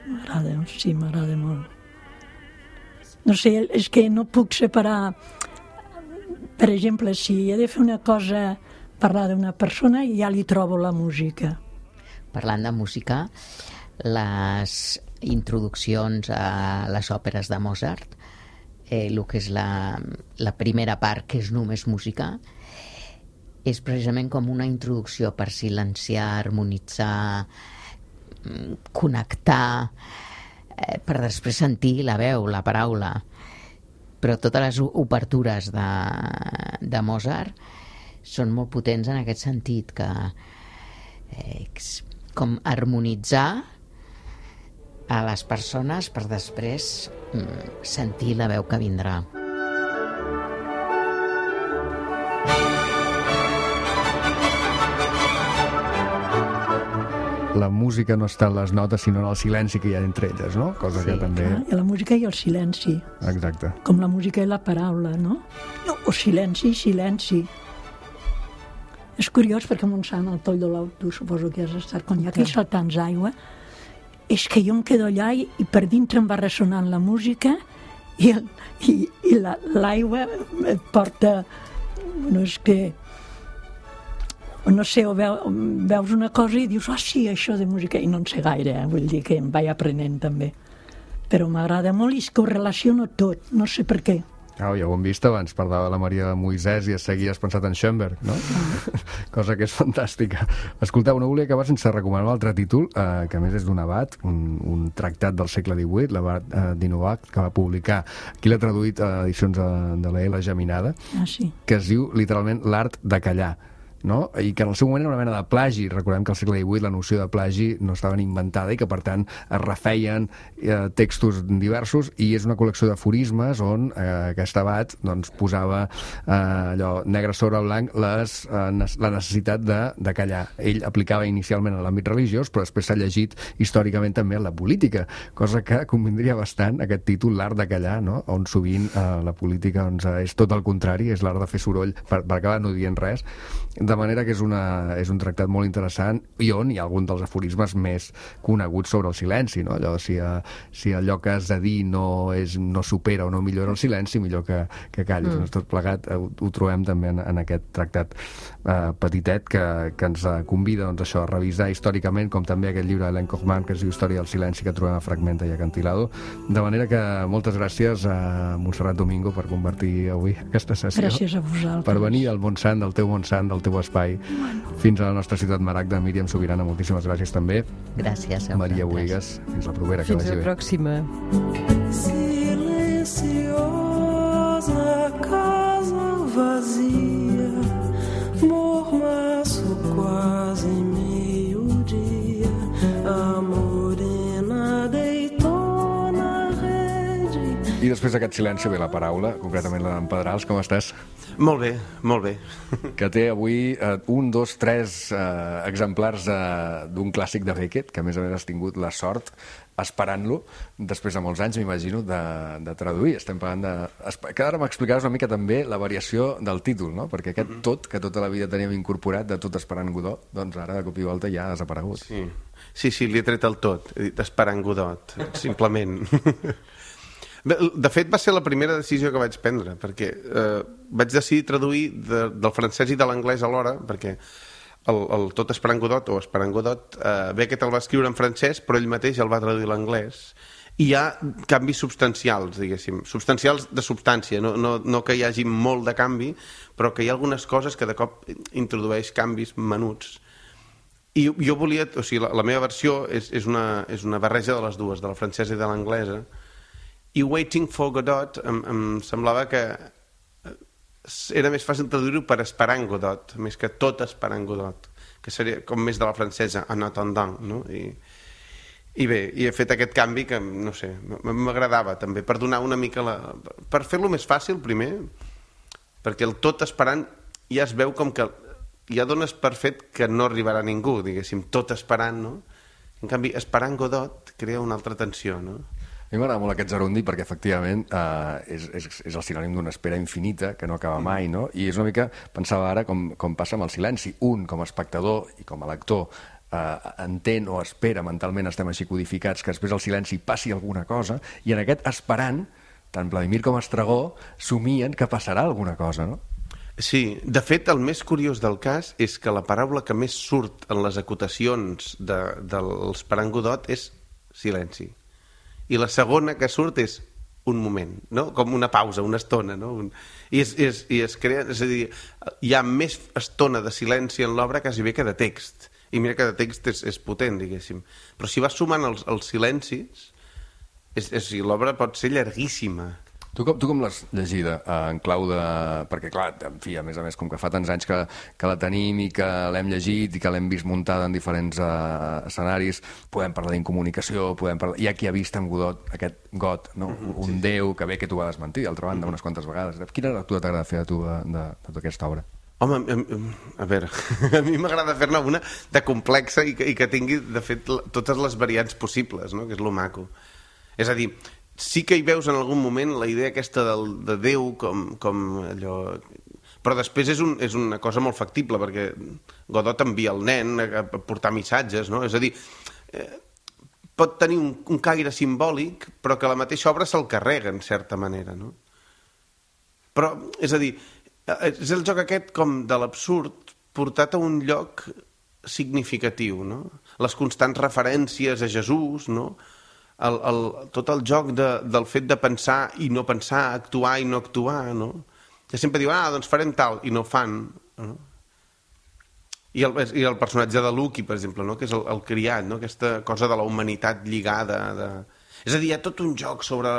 M'agrada, sí, m'agrada molt. No sé, és que no puc separar. Per exemple, si he de fer una cosa, parlar d'una persona, i ja li trobo la música. Parlant de música, les introduccions a les òperes de Mozart, eh, el que és la, la primera part, que és només música, és precisament com una introducció per silenciar, harmonitzar, connectar, eh, per després sentir la veu, la paraula. Però totes les obertures de, de Mozart són molt potents en aquest sentit, que eh, com harmonitzar a les persones per després mm, sentir la veu que vindrà. La música no està en les notes, sinó en el silenci que hi ha entre elles, no? Cosa Sí, que també... Clar, i la música i el silenci, Exacte. com la música i la paraula, no? no o silenci i silenci. És curiós perquè a Montsant, al Toll de l'Ou, tu suposo que has estat, quan hi ha aquells saltants d'aigua, és que jo em quedo allà i, i per dintre em va ressonant la música i, el, i, i la, l'aigua et porta... No és que... no sé, o veu, veus una cosa i dius, ah, oh, sí, això de música, i no en sé gaire, eh? Vull dir que em vaig aprenent també. Però m'agrada molt i és que ho relaciono tot, no sé per què. Oh, ja ho hem vist abans, parlava de la Maria de Moisès i a seguir has pensat en Schoenberg, no? Ah. Cosa que és fantàstica. Escolteu, no volia acabar sense recomanar un altre títol, eh, que a més és d'un abat, un, un tractat del segle divuit, l'abat eh, d'Inovac, que va publicar, aquí l'ha traduït a edicions de, de la L. Geminada, Ah, sí. que es diu literalment l'art de callar, no? I que en el seu moment era una mena de plagi. Recordem que al segle divuit la noció de plagi no estava ni inventada i que, per tant, es refeien eh, textos diversos, i és una col·lecció d'aforismes on eh, aquest abat doncs, posava eh, allò negre sobre blanc les, eh, la necessitat de, de callar. Ell aplicava inicialment a l'àmbit religiós, però després s'ha llegit històricament també en la política, cosa que convindria bastant aquest títol, l'art de callar, no? On sovint eh, la política doncs, és tot el contrari, és l'art de fer soroll per, per acabar no dient res. De manera que és, una, és un tractat molt interessant i on hi ha algun dels aforismes més coneguts sobre el silenci, no? Allò, si, a, si allò que has de dir no, és, no supera o no millora el silenci, millor que, que callis. Mm. Doncs tot plegat ho, ho trobem també en, en aquest tractat eh, petitet que, que ens convida doncs, això, a revisar històricament, com també aquest llibre d'Hélène Kochman que es diu Història del silenci, que trobem a Fragmenta i Acantilado. De manera que moltes gràcies a Montserrat Domingo per convertir avui aquesta sessió. Gràcies a vosaltres. Per venir al Montsant, del teu Montsant, del teu espai, fins a la nostra ciutat Maragda. Míriam Subirana, moltíssimes gràcies també. Gràcies a Maria vosaltres. Bohigas, fins la propera. Fins que vagi la bé. pròxima. Silenciosa casa vazia, mormaço quase meio-dia, a morena deitou na rede. I després d'aquest silenci ve la paraula, concretament la d'en Pedrals. Com estàs? Molt bé, molt bé. Que té avui eh, un, dos, tres eh, exemplars eh, d'un clàssic de Beckett, que a més a més has tingut la sort, esperant-lo, després de molts anys, m'imagino, de, de traduir. Estem parlant de... Que ara m'explicaràs una mica també la variació del títol, no? Perquè aquest mm-hmm. tot, que tota la vida teníem incorporat, de tot esperant Godot, doncs ara de cop i volta ja ha desaparegut. Sí, sí, sí, li he tret el tot. He dit esperant Godot, simplement. De fet, va ser la primera decisió que vaig prendre, perquè eh, vaig decidir traduir de, del francès i de l'anglès alhora, perquè el, el Tot esperant Godot, o Esperant Godot, eh, Beckett el va escriure en francès, però ell mateix el va traduir a l'anglès, i hi ha canvis substancials, diguéssim, substancials de substància, no, no, no que hi hagi molt de canvi, però que hi ha algunes coses que de cop introdueix canvis menuts. I jo volia, o sigui, la, la meva versió és, és, una, és una barreja de les dues, de la francesa i de l'anglesa, i Waiting for Godot em, em semblava que era més fàcil traduir-ho per Esperant Godot, més que Tot esperant Godot, que seria com més de la francesa, en attendant, no? I, i bé, i he fet aquest canvi que, no sé, m'agradava també, per donar una mica la... per fer-lo més fàcil, primer, perquè el Tot esperant ja es veu com que ja dones per fet que no arribarà ningú, diguéssim, tot esperant, no? En canvi, Esperant Godot crea una altra tensió, no? A mi m'agrada molt aquest gerundi perquè, efectivament, eh, és, és, és el sinònim d'una espera infinita que no acaba mai, no? I és una mica, pensava ara, com, com passa amb el silenci. Un, com a espectador i com a lector, eh, entén o espera, mentalment estem així codificats, que després al silenci passi alguna cosa, i en aquest esperant, tant Vladimir com Estragó somien que passarà alguna cosa, no? Sí, de fet, el més curiós del cas és que la paraula que més surt en les acotacions de, de l'Esperant Godot és silenci. I la segona que surt és un moment, no? Com una pausa, una estona, no? Un... I, es, és, i es crea, és a dir, hi ha més estona de silenci en l'obra quasi bé que de text. I mira que de text és, és potent, diguéssim. Però si vas sumant els, els silencis, és, és, l'obra pot ser llarguíssima. Tu com, tu com l'has llegida en clau de... Perquè, clar, en fi, a més a més, com que fa tants anys que, que la tenim i que l'hem llegit i que l'hem vist muntada en diferents uh, escenaris, podem parlar d'incomunicació, podem parlar... Hi ha qui ha vist en Godot, aquest got, no? Mm-hmm, un sí. déu que bé que t'ho va desmentir, d'altra banda, mm-hmm. unes quantes vegades. Quina lectura t'agrada fer a tu de, de, de tota aquesta obra? Home, a, a veure, a mi m'agrada fer-ne una de complexa i que, i que tingui, de fet, totes les variants possibles, no? Que és lo maco. És a dir, sí que hi veus en algun moment la idea aquesta del, de Déu com, com allò... Però després és, un, és una cosa molt factible, perquè Godot envia el nen a, a portar missatges, no? És a dir, eh, pot tenir un, un caire simbòlic, però que la mateixa obra se'l carrega, en certa manera, no? Però, és a dir, és el joc aquest com de l'absurd portat a un lloc significatiu, no? Les constants referències a Jesús, no? El, el, tot el joc de, del fet de pensar i no pensar, actuar i no actuar, no? Que sempre diuen, ah, doncs farem tal, i no fan, no? I el, i el personatge de Lucky, per exemple, no? Que és el, el criat, no? Aquesta cosa de la humanitat lligada. De... És a dir, hi ha tot un joc sobre,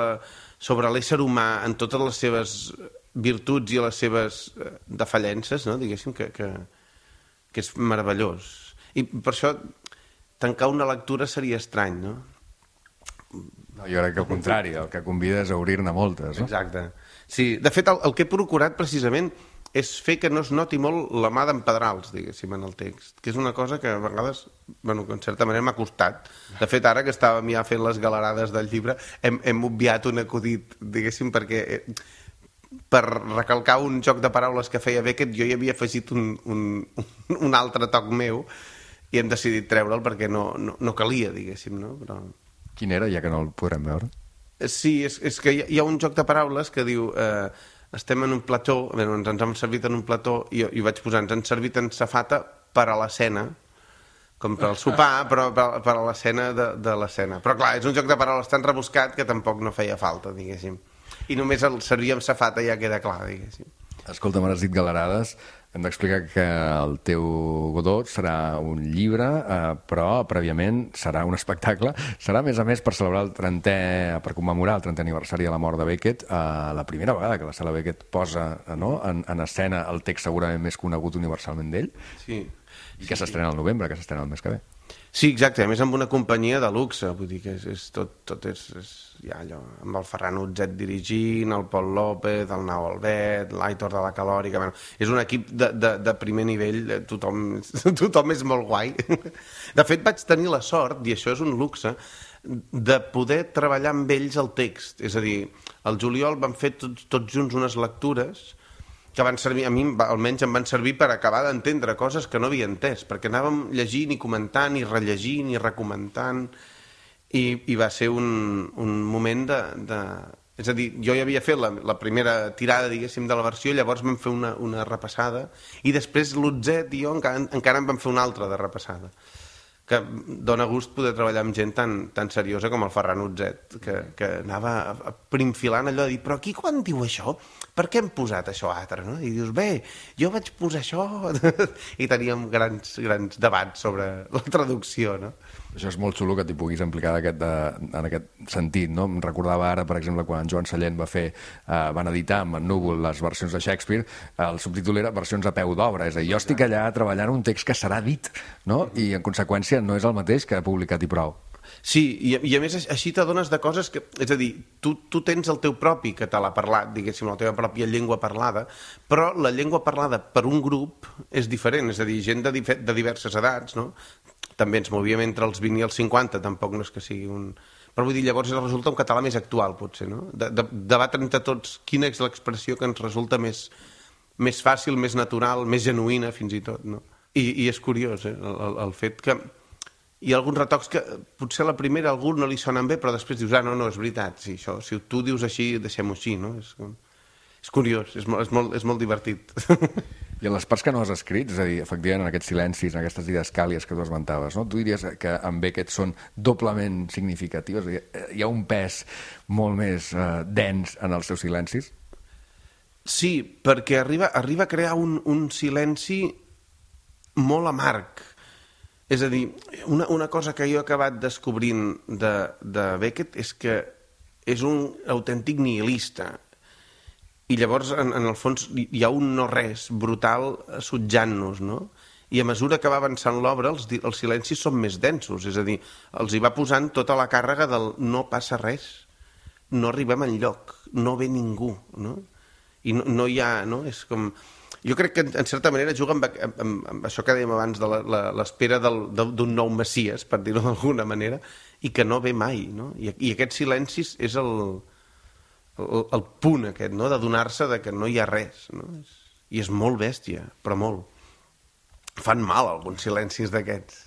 sobre l'ésser humà en totes les seves virtuts i les seves defallences, no? Diguéssim, que, que, que és meravellós. I per això tancar una lectura seria estrany, no? No, jo crec que al contrari, el que convida és a obrir-ne moltes, no? Exacte. Sí, de fet, el, el que he procurat precisament és fer que no es noti molt la mà d'en Pedrals, diguéssim, en el text, que és una cosa que a vegades, bueno, que en certa manera m'ha costat. De fet, ara que estàvem ja fent les galerades del llibre, hem, hem obviat un acudit, diguéssim, perquè eh, per recalcar un joc de paraules que feia Beckett, jo hi havia afegit un, un, un altre toc meu i hem decidit treure'l perquè no, no, no calia, diguéssim, no? Però... Quin era, ja que no el podrem veure? Sí, és, és que hi ha un joc de paraules que diu eh, estem en un plató, bé, ens, ens hem servit en un plató i, i vaig posar, ens han servit en safata per a l'escena, com per al sopar, però per, per a l'escena de, de l'escena. Però clar, és un joc de paraules tan rebuscat que tampoc no feia falta, diguéssim. I només el servir amb safata ja queda clar, diguéssim. Escolta, m'has dit galerades. Hem d'explicar que el teu Godot serà un llibre, eh, però prèviament serà un espectacle. Serà, a més a més, per celebrar el trentè, per commemorar el trentè aniversari de la mort de Beckett, eh, la primera vegada que la Sala Beckett posa no, en, en escena el text segurament més conegut universalment d'ell. Sí. I que s'estrena al novembre, que s'estrena el mes que ve. Sí, exacte, a més amb una companyia de luxe, vull dir que és, és tot, tot és, és ja allò, amb el Ferran Utzet dirigint, el Pol López, el Nau Albet, l'Aitor de la Calòrica, bueno, és un equip de, de, de primer nivell, tothom, tothom és molt guai. De fet, vaig tenir la sort, i això és un luxe, de poder treballar amb ells el text, és a dir, al juliol vam fer tots, tots junts unes lectures que van servir, a mi almenys em van servir per acabar d'entendre coses que no havia entès, perquè anàvem llegint i comentant i rellegint i recomentant i, i va ser un, un moment de, de... És a dir, jo ja havia fet la, la primera tirada, diguéssim, de la versió, llavors vam fer una, una repassada i després l'Utzet i jo encara, encara en vam fer una altra de repassada, que dona gust poder treballar amb gent tan, tan seriosa com el Ferran Utzet, que, que anava primfilant allò de dir, però aquí quan diu això, per què hem posat això altre, no? I dius, bé, jo vaig posar això, i teníem grans, grans debats sobre la traducció, no? Això és molt xulo que t'hi puguis implicar aquest, de, en aquest sentit, no? Em recordava ara, per exemple, quan Joan Sallent va fer, eh, van editar amb en Núvol les versions de Shakespeare, el subtítol era versions a peu d'obra, és a dir, jo estic allà treballant un text que serà dit, no? I en conseqüència no és el mateix que ha publicat i prou. Sí, i, i a més així t'adones de coses que... És a dir, tu, tu tens el teu propi català parlat, diguéssim, la teva pròpia llengua parlada, però la llengua parlada per un grup és diferent, és a dir, gent de, de diverses edats, no? També ens movíem entre els vint i els cinquanta, tampoc no és que sigui un... Però vull dir, llavors resulta un català més actual, potser, no? De, de, debatre entre tots quina és l'expressió que ens resulta més, més fàcil, més natural, més genuïna, fins i tot, no? I, i és curiós, eh? El, el, el fet que... Hi ha alguns retocs que potser a la primera a algú no li sonen bé, però després dius, ah, no, no, és veritat, sí, això, si tu dius així, deixem-ho així, no? És, és curiós, és molt, és molt, és molt divertit. I en les parts que no has escrit, és a dir, efectivament, en aquests silencis, en aquestes didascàlies que tu esmentaves, no? Tu diries que amb Beckett són doblement significatives? Hi ha un pes molt més eh, dens en els seus silencis? Sí, perquè arriba, arriba a crear un, un silenci molt amarg. És a dir, una, una cosa que jo he acabat descobrint de, de Beckett és que és un autèntic nihilista. i llavors, en, en el fons, hi ha un no-res brutal assetjant-nos, no? I a mesura que va avançant l'obra, els, els silencis són més densos, és a dir, els hi va posant tota la càrrega del no passa res, no arribem enlloc, no ve ningú, no? I no, no hi ha, no? És com... Jo crec que, en certa manera, juga amb, amb, amb això que dèiem abans, de l'espera d'un nou Messies, per dir-ho d'alguna manera, i que no ve mai, no? I, i aquests silencis és el, el, el punt aquest, no? De donar-se de que no hi ha res, no? I és molt bèstia, però molt. Fan mal alguns silencis d'aquests.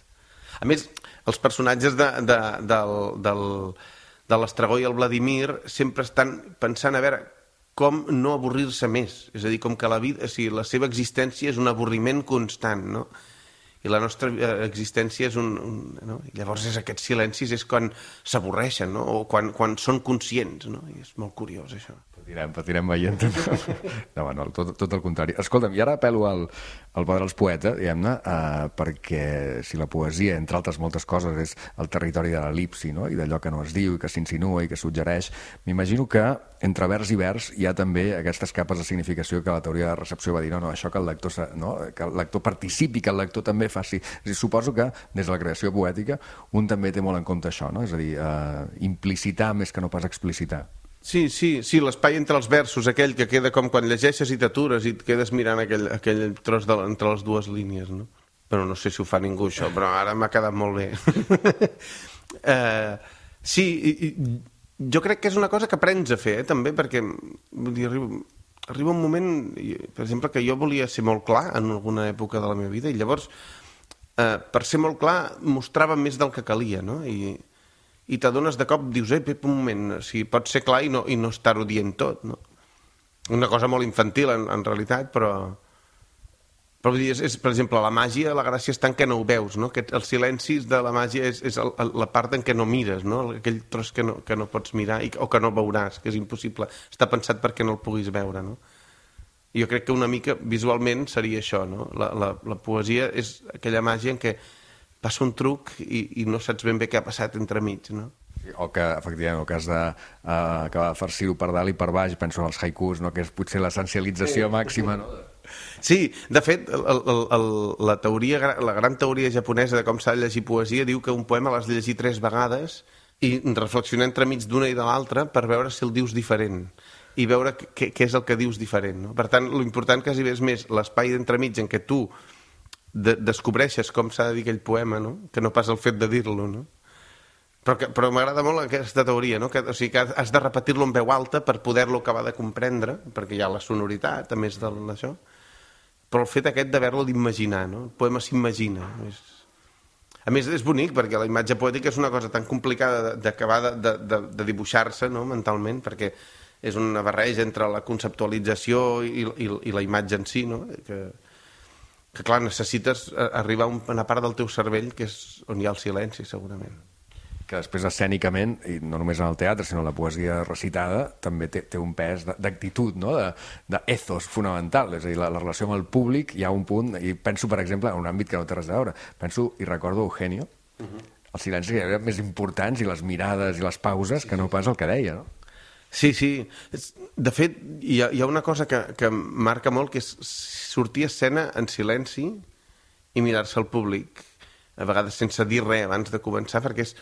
A més, els personatges de, de, del, del, de l'Estragó i el Vladimir sempre estan pensant a veure com no avorrir-se més. És a dir, com que la vida, o sigui, la seva existència és un avorriment constant, no? I la nostra existència és un... un no? I llavors és aquests silencis és quan s'avorreixen, no? O quan, quan són conscients, no? I és molt curiós, això. Patirem, patirem veient. No, no, tot, tot el contrari. Escolta'm, i ara apel·lo al, al poder dels poetes, diguem-ne, eh, perquè si la poesia, entre altres moltes coses, és el territori de l'elipsi, no? I d'allò que no es diu i que s'insinua i que suggereix, m'imagino que entre vers i vers hi ha també aquestes capes de significació que la teoria de recepció va dir, no, no, això que el lector, no? Que el lector participi, que el lector també faci. És a dir, suposo que des de la creació poètica un també té molt en compte això, no? És a dir, eh, implicitar més que no pas explicitar. Sí, sí, sí, l'espai entre els versos, aquell que queda com quan llegeixes i t'atures i et quedes mirant aquell, aquell tros de, entre les dues línies, no? Però no sé si ho fa ningú, això, però ara m'ha quedat molt bé. uh, sí, i, i jo crec que és una cosa que aprens a fer, eh, també, perquè vull dir, arriba, arriba un moment, per exemple, que jo volia ser molt clar en alguna època de la meva vida, i llavors, uh, per ser molt clar, mostrava més del que calia, no? I... i t'adones de cop, dius, eh, Pep, un moment, o sigui, pots ser clar i no, i no estar-ho dient tot, no? Una cosa molt infantil, en, en realitat, però... Però vull dir, és, és, per exemple, la màgia, la gràcia està en què no ho veus, no? Que els silencis de la màgia és, és el, el, la part en què no mires, no? Aquell tros que no, que no pots mirar i, o que no veuràs, que és impossible. Està pensat perquè no el puguis veure, no? I jo crec que una mica, visualment, seria això, no? La, la, la poesia és aquella màgia en què passa un truc i, i no saps ben bé què ha passat entremig, no? O que, efectivament, el que has d'acabar de farcir-ho per dalt i per baix, penso en els haikus, no? Que és potser l'essencialització màxima, no? Sí, de fet, el, el, el, la, teoria, la gran teoria japonesa de com s'ha de llegir poesia diu que un poema l'has de llegir tres vegades i reflexionar entremig d'una i de l'altra per veure si el dius diferent i veure què, què és el que dius diferent, no? Per tant, l'important quasi és més l'espai d'entremig en què tu De, descobreixes com s'ha de dir aquell poema, no? Que no pas el fet de dir-lo, no? Però, que, però m'agrada molt aquesta teoria, no? Que, o sigui, que has de repetir-lo en veu alta per poder-lo acabar de comprendre, perquè hi ha la sonoritat, a més d'això, però el fet aquest d'haver-lo d'imaginar, no? El poema s'imagina. És... A més, és bonic, perquè la imatge poètica és una cosa tan complicada d'acabar de, de, de, de dibuixar-se, no? Mentalment, perquè és una barreja entre la conceptualització i, i, i la imatge en si, no? Que... que clar, necessites arribar a una part del teu cervell que és on hi ha el silenci, segurament. Que després escènicament, i no només en el teatre, sinó en la poesia recitada, també té, té un pes d'actitud, no? D'ethos fonamental, és a dir, la, la relació amb el públic hi ha un punt, i penso, per exemple, en un àmbit que no té res a veure, penso, i recordo Eugenio, uh-huh. Els silencis eren més importants i les mirades i les pauses que no pas el que deia, no? Sí, sí. De fet, hi ha, hi ha una cosa que, que marca molt, que és sortir a escena en silenci i mirar-se al públic, a vegades sense dir res abans de començar, perquè és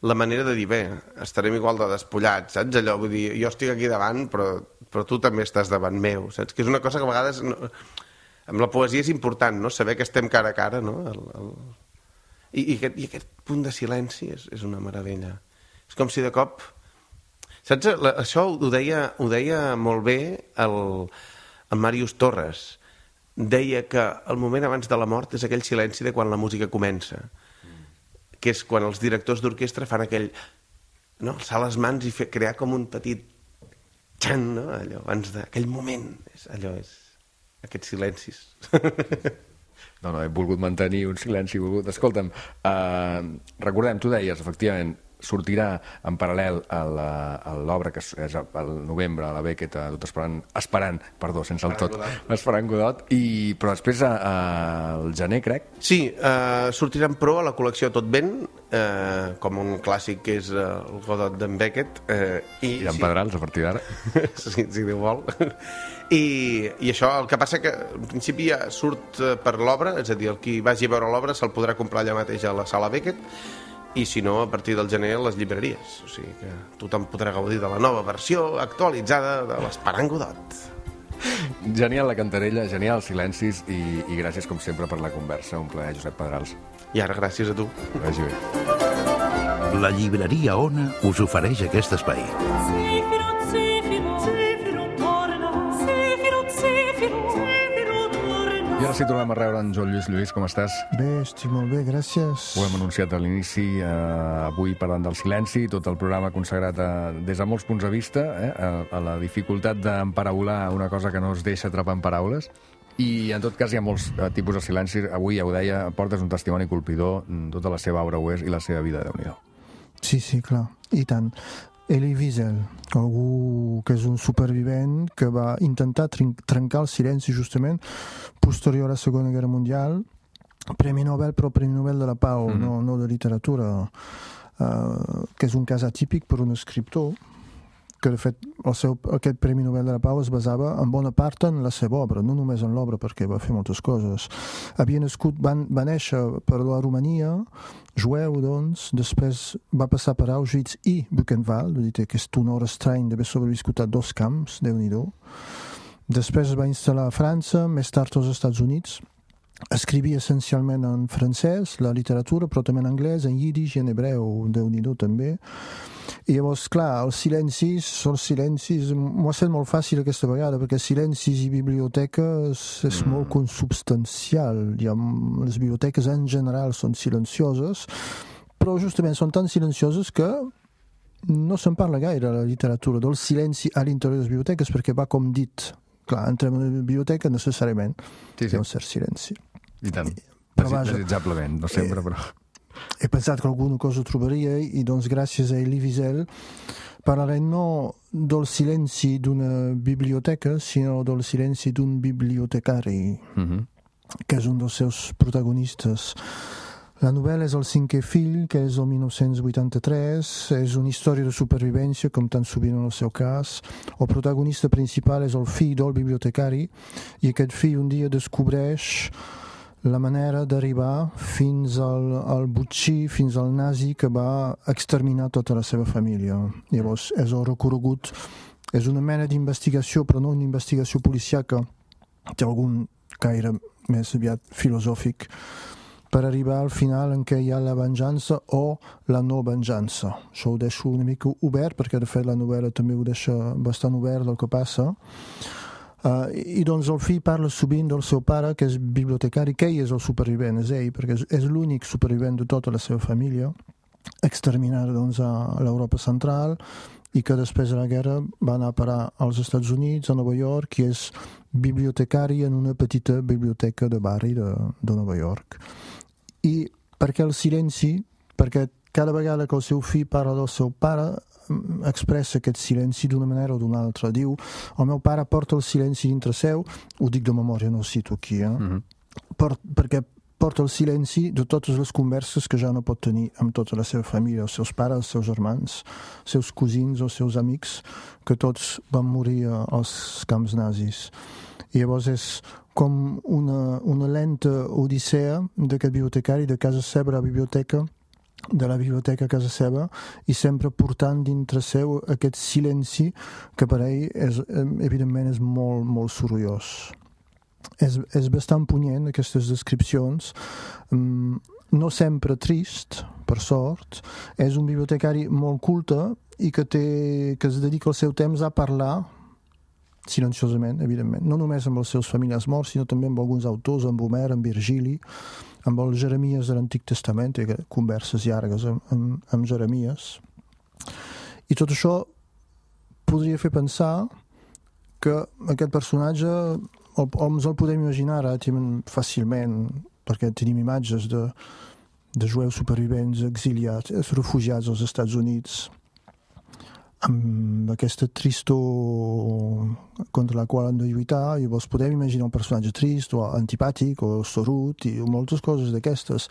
la manera de dir, bé, estarem igual de despullats, saps? Allò, vull dir, jo estic aquí davant, però, però tu també estàs davant meu, saps? Que és una cosa que a vegades... No, amb la poesia és important, no? Saber que estem cara a cara, no? El, el... I, i, aquest, I aquest punt de silenci és, és una meravella. És com si de cop... Saps? Això ho deia, ho deia molt bé el, el Màrius Torres. Deia que el moment abans de la mort és aquell silenci de quan la música comença, mm. que és quan els directors d'orquestra fan aquell... No? Alçar les mans i fer, crear com un petit... Xan, no? Allò, abans d'aquell moment. És, allò és... Aquests silencis. No, no, he volgut mantenir un silenci, he volgut... Escolta'm, eh, recordem, tu deies, efectivament, sortirà en paral·lel a l'obra que és al novembre, a la Beckett, tot esperant, esperant, perdó, sense el tot, esperant Godot, i, però després al gener, crec. Sí, eh, sortirà en pro a la col·lecció Tot Vent, eh, com un clàssic que és eh, el Godot d'en Beckett, eh, i, I d'en sí, Pedrals, a partir d'ara. si, si Déu vol. I, I això, el que passa que en principi ja surt eh, per l'obra, és a dir, el qui vagi a veure l'obra se'l podrà comprar allà mateix a la sala Beckett, i si no, a partir del gener a les llibreries. O sigui que tothom podrà gaudir de la nova versió actualitzada de l'Esperant Godot. Genial la cantarella, genial els silencis i, i gràcies com sempre per la conversa. Un plaer, Josep Pedrals. I ara gràcies a tu. Que vagi bé. La llibreria Ona us ofereix aquest espai. Zefiro, Zefiro, Zefiro, torna. Zefiro, Zefiro, Zefiro, torna. I ara sí tornem a rebre en Joan Lluís. Lluís, com estàs? Bé, estic molt bé, gràcies. Ho hem anunciat a l'inici, eh, avui parlant del silenci, tot el programa consagrat a, des de molts punts de vista, eh, a, a la dificultat d'emparaular una cosa que no es deixa atrapar en paraules. I en tot cas hi ha molts eh, tipus de silenci. Avui, ja ho deia, portes un testimoni colpidor, tota la seva obra ho és i la seva vida, Déu-n'hi-do. Sí, sí, clar, i tant. Elie Wiesel, algú que és un supervivent que va intentar trencar el silenci justament posterior a la Segona Guerra Mundial, Premi Nobel, però Premi Nobel de la Pau, mm. no, no de literatura, uh, que és un cas atípic per un escriptor, que de fet el seu, aquest Premi Nobel de la Pau es basava en bona part en la seva obra, no només en l'obra, perquè va fer moltes coses. Havia nascut, van, va néixer per la Romania, jueu, doncs, després va passar per Auschwitz i Buchenwald, vull dir que és un honor estrany d'haver sobreviscut a dos camps, Déu-n'hi-do. Després es va instal·lar a França, més tard als Estats Units. Escrivia essencialment en francès, la literatura, però també en anglès, en yiddish i en hebreu, Déu-n'hi-do també. I llavors, clar, els silencis, els silencis, m'ho ha fet molt fàcil aquesta vegada, perquè silencis i biblioteques és mm. molt consubstancial. Ja, les biblioteques en general són silencioses, però justament són tan silencioses que no se'n parla gaire a la literatura del silenci a l'interior de les biblioteques, perquè va com dit. Clar, entrem en una biblioteca necessàriament sí, sí. Hi ha un cert silenci. I tant, però, desitjablement, no sempre, però... He pensat que alguna cosa trobaria i doncs gràcies a Elie Wiesel parlarem no del silenci d'una biblioteca sinó del silenci d'un bibliotecari mm-hmm. que és un dels seus protagonistes. La novel·la és El cinquè fill, que és el mil nou-cents vuitanta-tres, és una història de supervivència, com tan sovint en el seu cas. El protagonista principal és el fill del bibliotecari i aquest fill un dia descobreix la manera d'arribar fins al, al botxí, fins al nazi que va exterminar tota la seva família. Llavors, és el recorregut, és una mena d'investigació, però no una investigació policiaca, té algun caire més aviat filosòfic, per arribar al final en què hi ha la venjança o la no venjança. Això ho deixo una mica obert, perquè de fet la novel·la també ho deixa bastant obert del que passa. Uh, I doncs el fill parla sovint del seu pare, que és bibliotecari, que ell és el supervivent, és ell, perquè és, és l'únic supervivent de tota la seva família, exterminada doncs, a l'Europa central, i que després de la guerra va anar a parar als Estats Units, a Nova York, i és bibliotecari en una petita biblioteca de barri de, de Nova York. I perquè el silenci, perquè cada vegada que el seu fill parla del seu pare, expressa aquest silenci d'una manera o d'una altra. Diu, el meu pare porta el silenci dintre seu, ho dic de memòria, no ho cito aquí, eh? Mm-hmm. per, perquè porta el silenci de totes les converses que ja no pot tenir amb tota la seva família, els seus pares, els seus germans, els seus cosins, els seus amics, que tots van morir als camps nazis. I llavors és com una, una lenta odissea d'aquest bibliotecari de casa seva a la biblioteca, de la biblioteca a casa seva, i sempre portant dintre seu aquest silenci que per ell és, evidentment és molt, molt sorollós. És, és bastant punyent aquestes descripcions, no sempre trist, per sort. És un bibliotecari molt culte i que, té, que es dedica el seu temps a parlar silenciosament, evidentment, no només amb els seus familiars morts, sinó també amb alguns autors, amb Homer, amb Virgili, amb els Jeremies de l'Antic Testament, i converses llargues amb, amb, amb Jeremies. I tot això podria fer pensar que aquest personatge el, ens el podem imaginar ara fàcilment, perquè tenim imatges de, de jueus supervivents exiliats, refugiats als Estats Units, amb aquesta tristor contra la qual han de lluitar, i vos podem imaginar un personatge trist o antipàtic o sorut i moltes coses d'aquestes.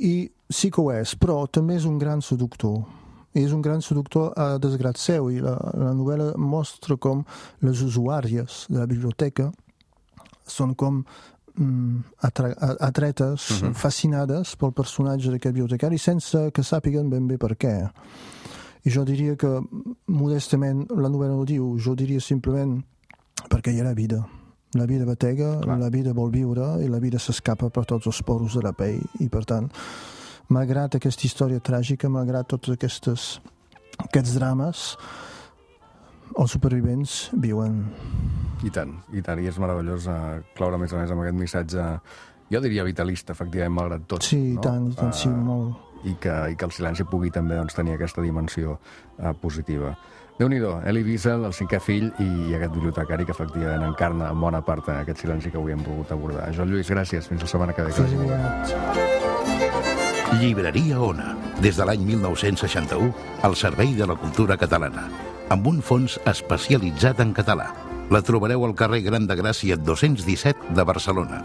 I sí que ho és, però també és un gran seductor. És un gran seductor a desgrat seu, i la, la novel·la mostra com les usuàries de la biblioteca són com mm, atra atretes, uh-huh. fascinades pel personatge d'aquest bibliotecari sense que sàpiguen ben bé per què. I jo diria que, modestament, la novel·la no diu, jo diria simplement perquè hi ha la vida. La vida batega, Clar. la vida vol viure i la vida s'escapa per tots els poros de la pell. I, per tant, malgrat aquesta història tràgica, malgrat tots aquestes, aquests drames, els supervivents viuen. I tant, i tant. I és meravellós uh, cloure més a més amb aquest missatge, jo diria vitalista, efectivament, malgrat tot. Sí, i no? tant, i tant, uh, sí, molt. I que, i que el silenci pugui també doncs, tenir aquesta dimensió uh, positiva. Déu-n'hi-do, Elie Wiesel, el cinquè fill, i aquest bibliotecari que efectivament encarna en bona part aquest silenci que avui hem pogut abordar. Joan Lluís, gràcies. Fins la setmana que ve. Fins aviat. Llibreria Ona, des de l'any mil nou-cents seixanta-u, al servei de la cultura catalana, amb un fons especialitzat en català. La trobareu al carrer Gran de Gràcia dos-cents disset de Barcelona.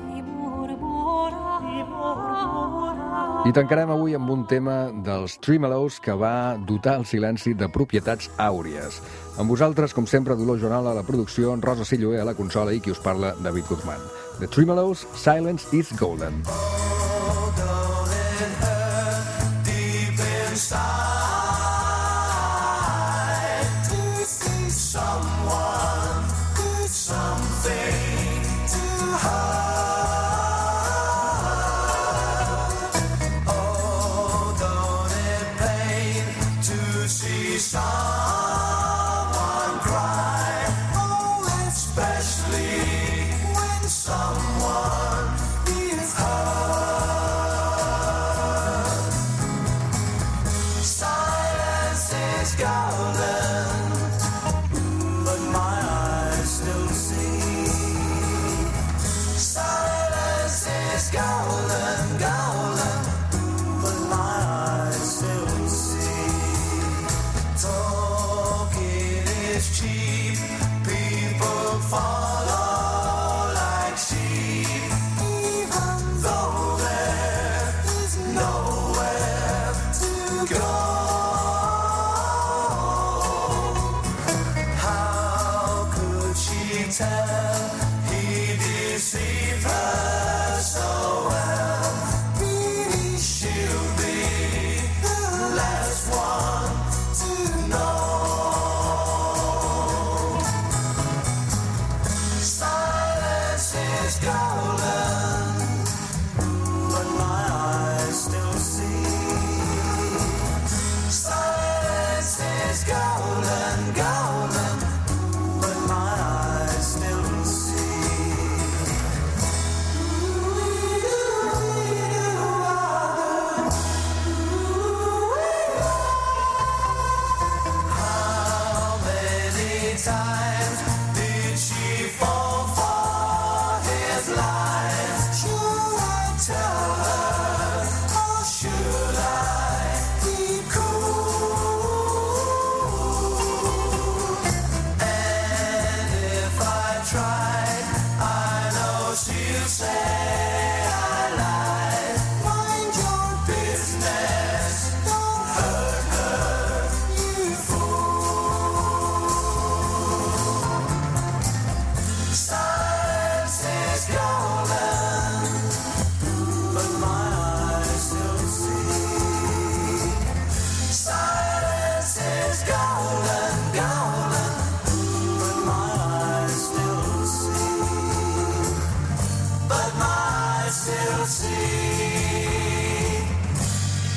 I tancarem avui amb un tema dels Tremelows que va dotar el silenci de propietats àuries. Amb vosaltres, com sempre, Dolors Joanal a la producció, Rosa Silloé a la consola i qui us parla, David Guzmán. The Tremelows, Silence is Golden.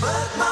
But my